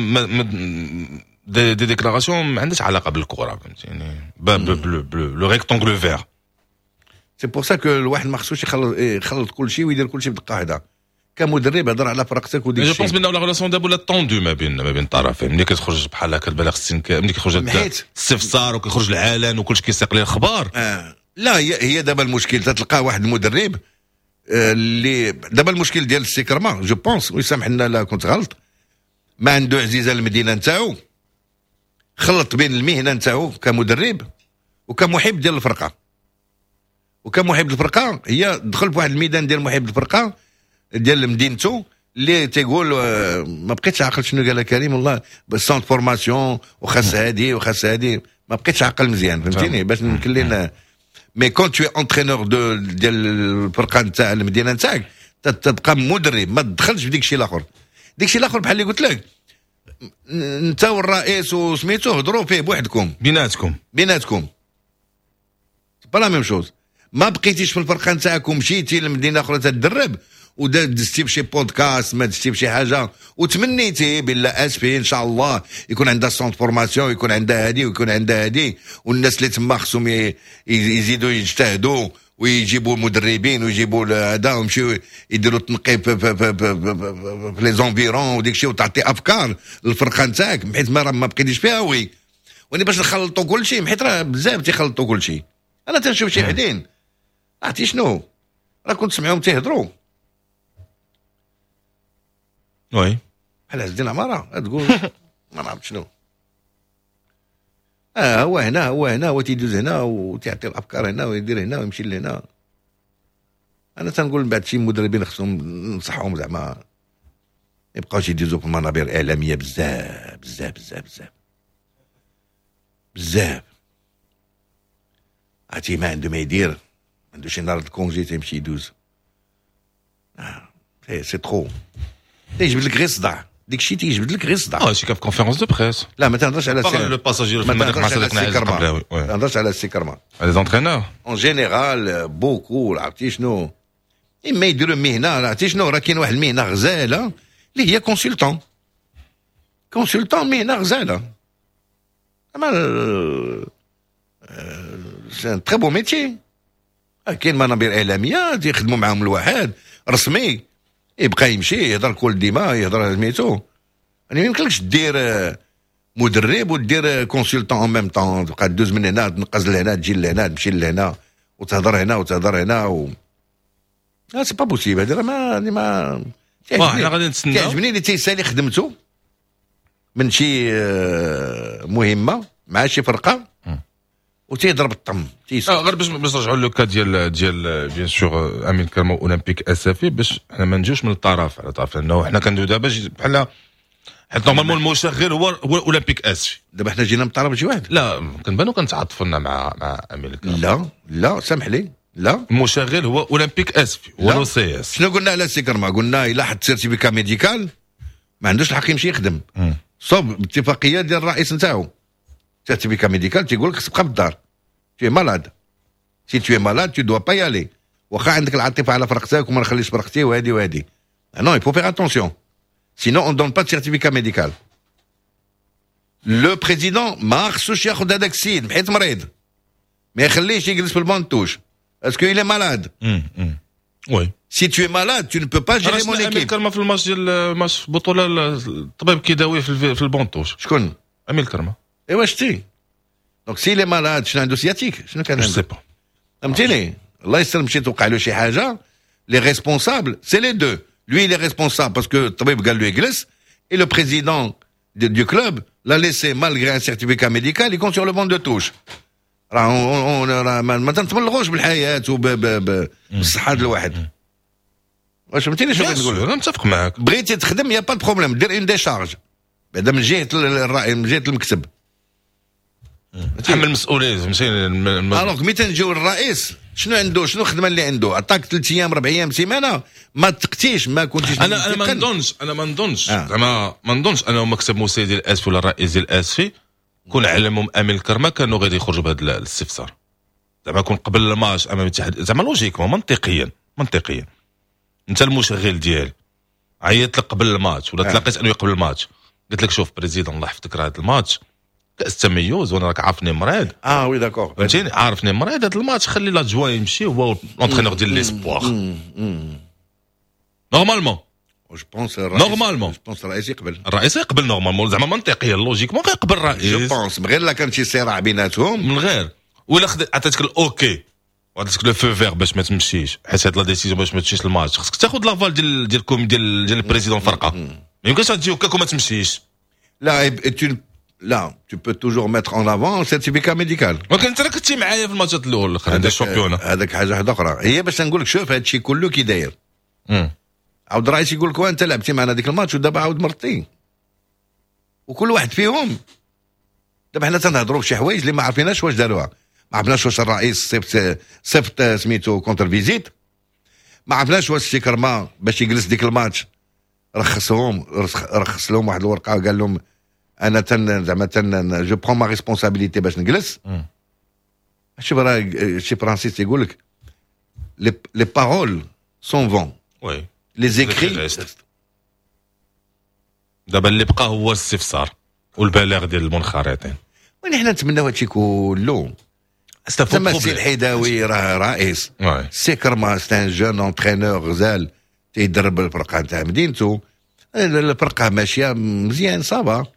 des, des déclarations ما عندهاش علاقة بالكرة فهمتيني، le rectangle vert. c'est pour ça que الواحد ما خصوش يخلط يخلط كل شيء ويدير كل شيء بدقة واحدة. كمدرب هضر على فرقتك وديك الشيء. je pense بان la relation دابا ولات tendue ما بين ما بين الطرفين، ملي كتخرج بحال هكا البلاغ السن، ملي كيخرج الاستفسار وكيخرج العلن وكلشي كيسيق ليه الخبار. آه. لا هي هي دابا المشكل تتلقى واحد المدرب آه، اللي دابا المشكل ديال السي كرما je pense، ويسامح لنا لا كنت غلط، ما عنده عزيزه المدينة نتاعو، خلط بين المهنة نتاعو كمدرب وكمحب ديال الفرقه. وكمحب الفرقة هي دخل في واحد الميدان ديال محب الفرقة ديال مدينته اللي تيقول آه، ما بقيتش عاقل شنو قال كريم والله، centre formation وخاص هادي وخاص هادي، ما بقيتش عاقل مزيان فهمتيني باش نمكن لينا. mais quand tu es entraîneur de ديال الفرقة نتاع المدينة نتاعك تبقى مدرب، ما تدخلش في ديك الشيء الاخر. ديك الشيء الاخر بحال اللي قلت لك انت والرئيس وسميتو هضروا فيه بوحدكم. بيناتكم. بيناتكم، pas la même chose. ما بقيتيش في الفرقة نتاعك ومشيتي لمدينة اخرى تدرب ودزتي بشي بودكاست، ما دزتي بشي حاجة وتمنيتي بالله اسفي ان شاء الله يكون عندها centre formation، يكون عندها هادي ويكون عندها هادي، والناس اللي تما خصهم يزيدوا يجتهدوا ويجيبوا مدربين ويجيبوا هذا ويمشيو يديروا التنقيب في, في, في, في, في les environs وديك الشيء، وتعطي افكار للفرقة نتاعك حيت ما ما بقيتيش فيها. oui وني باش نخلطوا كل شيء، حيت راه بزاف تيخلطوا كل شيء. انا تنشوف شي وحدين عرفتي شنو راه كنت تسمعهم تيهضروا oui بحال عز الدين عمارة تقول ما نعرف شنو. اه هو هنا هو هنا هو تيدوز هنا وتيعطي الافكار هنا ويدير هنا ويمشي لهنا. انا تنقول بعد شي مدربين خصهم ننصحهم زعما ما يبقاوش يدوزوا في المنابر الاعلامية بزاف بزاف بزاف بزاف بزاف. عرفتي ما عنده ما يدير، ما عنده شي نهار ال congé تيمشي يدوز. آه c'est trop، تيجبد لك غير صداع، ديك الشيء تيجبد لك غير صداع. اه شي كاف conférence de presse. لا ما تهضرش على سي le passager. ما تهضرش على السي كرما، ما تهضرش على السي كرما. les entraîneurs en général beaucoup عرفتي شنو اما يديروا مهنة، عرفتي شنو راه كاين واحد المهنة غزاله اللي هي consultant. consultant مهنة غزاله، اما c'est un très beau métier. كاين منابر اعلامية تيخدموا معاهم الواحد رسمي يبقى يمشي يهضر كل ديما يهضر سميتو. يعني ما يمكنلكش دير مدرب ودير consultant en même temps، تبقى دوز من هنا تنقز لهنا تجي لهنا تمشي لهنا وتهضر هنا وتهضر هنا و اه c'est pas possible. هذا راه ما ما حنا غادي نتسناو. تعجبني اللي تيسالي خدمته من شي مهمة مع شي فرقه وتيضرب الطم. اه غير باش باش نرجعوا le cas ديال ديال bien sûr امين كرمو اولمبيك اسفي، باش حنا ما نجيوش من الطرف على طرف، لانه حنا كندويو دابا بحال حيت normalement المشغل هو هو اولمبيك اسفي. دابا حنا جينا من طرف شي واحد؟ لا كنبانو كنتعاطفوا مع مع امين كرمو. لا لا سامح لي، لا المشغل هو اولمبيك اسفي هو l'OCS. شنو قلنا على سي كرما؟ قلنا الا حط certificat médical ما عندوش الحق يمشي يخدم. sauf باتفاقيه ديال الرئيس نتاعو. certificat médical تيقول لك تبقى في الدار، tu es malade، si tu es malade tu dois pas y aller. واخا عندك العاطفة على فرقتك وما نخليش فرقتي وهادي وهادي، non، il faut faire attention، sinon on donne pas certificat médical. le président ما خصوش ياخذ هذاك السيد حيت مريض، ما يخليش يجلس في ال banc de touche parce que il est malade. oui. si tu es malade tu ne peux pas gérer mon équipe. كرما في الماتش ديال الماتش في البطوله، الطبيب كيداوي في في ال banc de touche. شكون؟ امير كرما. ايوا شتي، donc s'il est malade، شنو عنده؟ sciatique؟ شنو كان عنده؟ sais pas. فهمتيني؟ الله يستر، مشي توقع له شي حاجه. les responsables c'est les deux. lui il est responsable parce que الطبيب قال له يجلس، et le président du club l'a laissé malgré un certificat médical يكون sur le banc de touche. راه ما تنتملغوش بالحياة وبالصحه الواحد. واش فهمتيني شنو بغيت نقول؟ انا متفق معاك. بغيتي تخدم، y a pas problème، دير une décharge بعدا من جهة الرأي، من جهة المكتب. تحمل المسؤوليه، فهمتيني. alors ملي تنجيو للرئيس، شنو عنده؟ شنو الخدمة اللي عنده؟ عطاك ثلاث ايام، اربع ايام، سيمانه، ما تقتيش، ما كنتيش. انا انا ما نظنش، انا ما نظنش آه. زعما ما نظنش انه مكتب مسير ديال الاسفي ولا الرئيس ديال الاسفي كون علمهم امين الكرمة كانوا غادي يخرجوا بهذا الاستفسار. زعما كون قبل الماتش امام الاتحاد، زعما logiquement، منطقيا، منطقيا انت المشغل ديالي عيطت لك قبل الماتش ولا آه. تلاقيت انا قبل الماتش، قلت لك شوف président، الله يحفظك، راه هذا الماتش كاس التميز وانا راك عارفني مريض. اه oui d'accord. فهمتيني، عارفني مريض، هذا الماتش خلي l'adjoint يمشي هو l'entraîneur ديال les espoirs normalement. je pense. normalement. je pense الرئيس يقبل. الرئيس يقبل normalement، زعما منطقيا logiquement يقبل الرئيس. je pense غير لا كان شي صراع بيناتهم. من غير ولا عطيتك ال OK وعطيتك le feu vert باش ما تمشيش، حيت هاد la décision باش ما تمشيش الماتش خصك تاخذ l'aval ديال ديالكم ديال ديال ال président الفرقه. ما يمكنش تجي هكاك وما تمشيش. لا tu لا tu peux toujours mettre en avant un certificat médical. ولكن انت كنتي معايا في الماتشات الاول الاخر ديال ال championnat. هذاك حاجة واحدة اخرى. هي باش نقول لك، شوف هذا الشيء كله كي داير. عاود الرئيس يقول لك انت لعبتي معنا ديك الماتش ودابا عاود مرتين. وكل واحد فيهم، دابا حنا تنهضروا في شي حوايج اللي ما عارفيناش واش داروها. ما عرفناش واش الرئيس صيفط صيفط سميتو contre-visite، ما عرفناش واش سي كرما باش يجلس ديك الماتش رخصهم رخص لهم واحد الورقة وقال لهم انا تن زعما تن je prends ma responsabilité باش نجلس. شوف، راه شي فرانسيس يقول لك les paroles s'en vont، oui les écrits. دابا اللي بقى هو الاستفسار والبلاغ ديال المنخرطين. وين حنا نتمناو هادشي كله. تما السي الحيداوي راه رئيس، سي كرما c'est un jeune entraîneur غزال تيدرب الفرقة نتاع مدينته، الفرقة ماشية مزيان، ça va.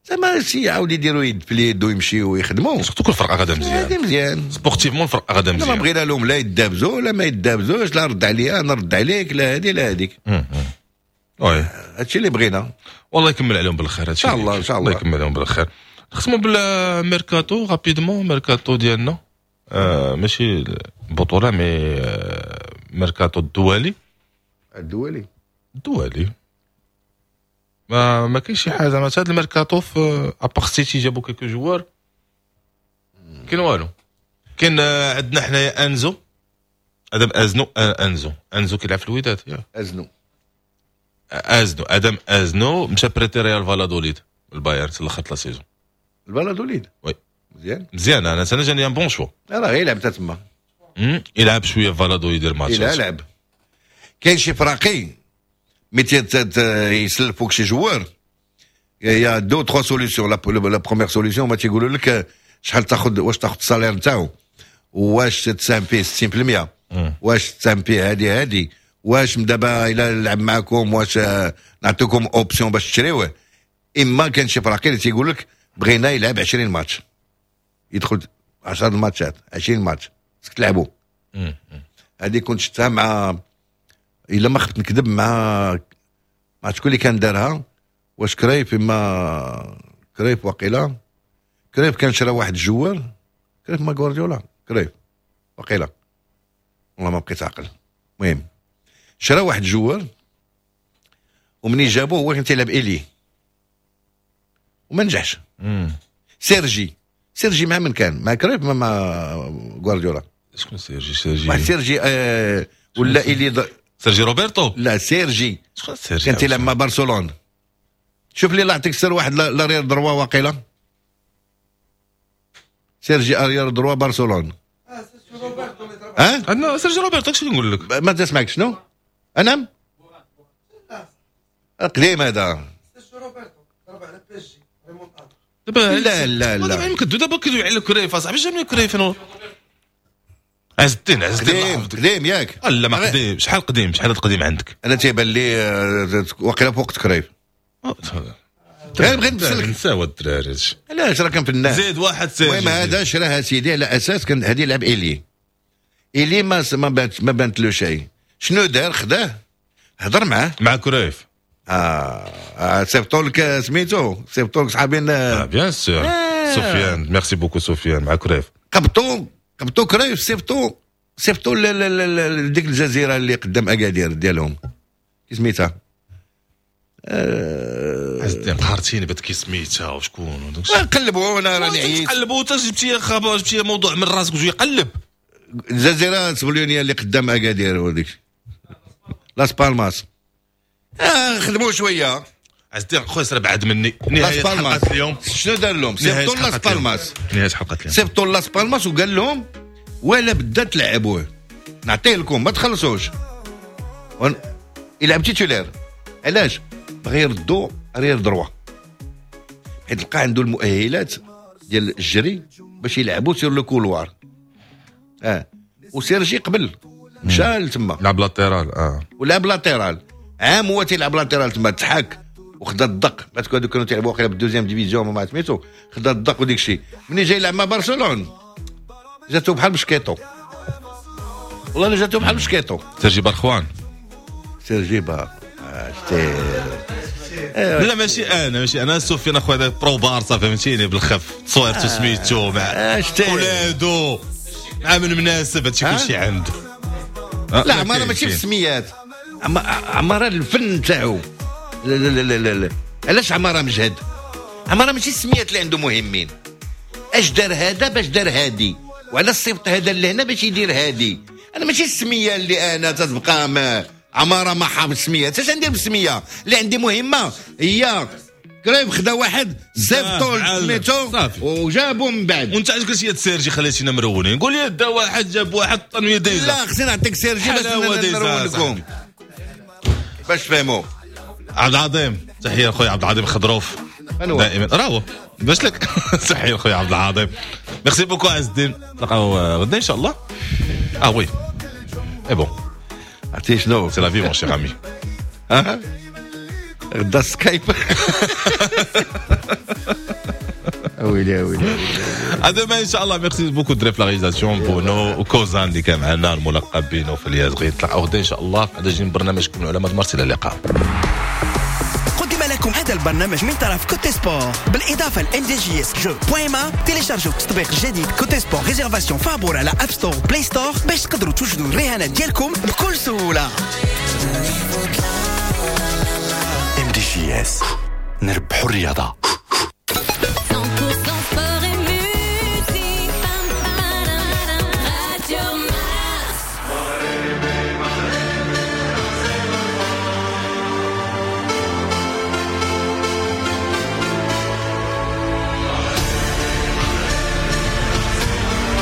زعما سي عاود يديروا يد في اليد ويمشيو ويخدموا. surtout كل الفرقة غادا مزيان. غادي مزيان. sportivement الفرقة غادا مزيان. ما بغينا لهم لا يدابزوا لا ما يدابزوش، لا رد عليا نرد عليك، لا هادي لا هذيك. oui. هادشي اللي بغينا. والله يكمل عليهم بالخير. ان شاء الله، ان شاء الله. الله يكمل عليهم بالخير. نختموا بال mercato rapidement، mercato ديالنا، آه ماشي البطولة mais آه ميركاتو الدولي. الدولي. الدولي ما ما كاينش شي حاجه، زعما هذا الميركاتو في à part سيتي جابوا quelques joueurs، كاين والو. كاين آه، عندنا حنايا انزو، ادم ازنو، آه انزو انزو كيلعب في الوداد. ازنو. ازنو، ادم ازنو مشى prêté ريال فالادوليد، البايرن الاخر la saison. الفالادوليد. oui. مزيان. مزيان، انا انا جاني un bon choix. راه غير لعب تما. يلعب شوية في فالادو، يدير ماتش. لا لعب، كاين شي فراقي mais يسلفوك شي joueur، y a deux trois solutions. la première solution ما تيقولوا لك شحال تاخذ، واش تاخذ ال salaire نتاعو، واش تساهم فيه ستين في المية، واش تساهم فيه هادي هادي، واش دابا الى لعب معكم واش نعطيكم option باش تشريوه. اما كان شي فراقي اللي تيقول لك بغينا يلعب عشرين ماتش، يدخل عشرة الماتشات، عشرين ماتش خصك تلعبوا. هذه كنت شفتها مع، الا ما خفت نكذب، مع مع شكون اللي كان دارها، واش كريف؟ اما كريف، وقيلا كريف كان شرا واحد ال joueur، كريف ما غوارديولا، كريف وقيلا، والله ما بقيت عاقل. المهم شرا واحد ال joueur ومني جابوه هو كان تيلعب ailier وما نجحش. سيرجي، سيرجي مع من كان؟ مع كريف مع غوارديولا. شكون سيرجي؟ سيرجي واحد سيرجي آه ولا ailier. سيرجي روبرتو؟ لا، سيرجي. شكون سيرجي؟ كان تيلعب مع برشلونه. شوف لي الله يعطيك السر واحد l'arrière droit واقيلا سيرجي arrière droit برشلونة. ها عندنا سيرجي روبرتو، اش نقول لك؟ ما تسمعك شنو؟ انا قديم هذا سيرجيو روبرتو ضرب على بي اس جي ريمونتادا. دابا لا لا لا دابا يمكن دابا كيدوي على كريف اصاحبي، جابني كريف انا عز الدين عز الدين قديم ياك؟ لا ما قديم، شحال قديم؟ شحال قديم عندك؟ انا تيبان لي واقيلا في وقت كريف. غير بغيت نسلك نساو الدراري هادشي. علاش راه كان فنان. زيد واحد سيرجي. المهم هذا شراه سيدي على اساس كان هذه يلعب ailier ailier ما ما بانت ما بانت له شيء. شنو دار؟ خداه هضر معاه مع كريف. اه, آه صيفطوا لك سميتو، صيفطوا لك صحابين. اه bien sûr سفيان، merci beaucoup سفيان مع كريف. قبطوا قبطوا كريف، صيفطوا صيفطوا لديك الجزيرة اللي قدام اكادير ديالهم كي سميتها؟ عز الدين قهرتيني بعد كي سميتها وشكون قلبوا. انا راني عييت قلبوا حتى جبتي خبر، جبتي موضوع من راسك وجي قلب. الجزيرة السبليونيه اللي قدام اكادير وديك لاس بالماس. آه خدموا شوية عز الدين خويا سير بعد مني. نهاية حلقة اليوم شنو دار لهم؟ صيفطوا لاس بالماس. نهاية حلقة اليوم صيفطوا لاس بالماس وقال لهم ولا بدا تلعبوه نعطيه لكم ما تخلصوش ون... يلعب titulaire. علاش؟ بغى يردو arrière droit حيت لقى عنده المؤهلات ديال الجري باش يلعبوا sur le couloir. اه وسيرجي قبل مشى لتما لعب latéral. اه ولعب latéral عام هو تيلعب latéral تما تحاك وخدا الدق parce que هادو كانوا تيلعبوا واقيلا بال deuxième division ما سميتو، خدا الدق وديك الشيء. ملي جاي يلعب مع برشلونة جاتو بحال بشكيطو، والله الا جاتو بحال بشكيطو. سيرجي بارخوان. سيرجي بار شتي لا ماشي انا ماشي انا سفيان اخويا هذا pro بارسا فهمتيني بالخف تصويرتو سميتو مع ولادو مع من مناسب هادشي كلشي عنده. لا عمارة ماشي في السميات، عمارة الفن تاعو. لا لا لا لا علاش عمارة مجهد؟ عمارة ماشي السميات اللي عنده مهمين. اش دار هذا باش دار هادي، وعلى الصفت هذا اللي هنا باش يدير هادي. انا ماشي السمية اللي انا تتبقى ما عمارة ما حافظ السميات. اش ندير بالسميه اللي عندي مهمة؟ هي كريم خدا واحد زيفطو سميتو وجابو من بعد. وانت علاش قلت لي سيرجي خليتينا مرونين؟ قول لي دا واحد جاب واحد طنويه ديزا. لا خصني نعطيك سيرجي باش نرون لكم باش تفهموا. عبد العظيم تحية لخويا عبد العظيم خضروف دائما راهو باش لك. تحية لخويا عبد العظيم، merci beaucoup عز الدين. نتلاقاو غدا ان شاء الله. اه oui et bon عرفتي شنو؟ c'est la vie mon cher ami. غدا سكايب. ويلي ويلي هذا ما ان شاء الله. merci beaucoup دري في la réalisation بونو وكوزان اللي كان معنا الملقب بينو في اليازغي. نتلاقاو غدا ان شاء الله في عدد من برنامجكم العلماء مارس. الى اللقاء. قدم لكم هذا البرنامج من طرف كوتي سبور بالاضافة ل ام دي جي اس جو بوين ما. تيليشارجوا التطبيق الجديد كوتي سبور réservation فابور على App Store Play Store باش تقدروا توجدوا الرهانات ديالكم بكل سهولة. ام دي جي اس نربحوا الرياضة.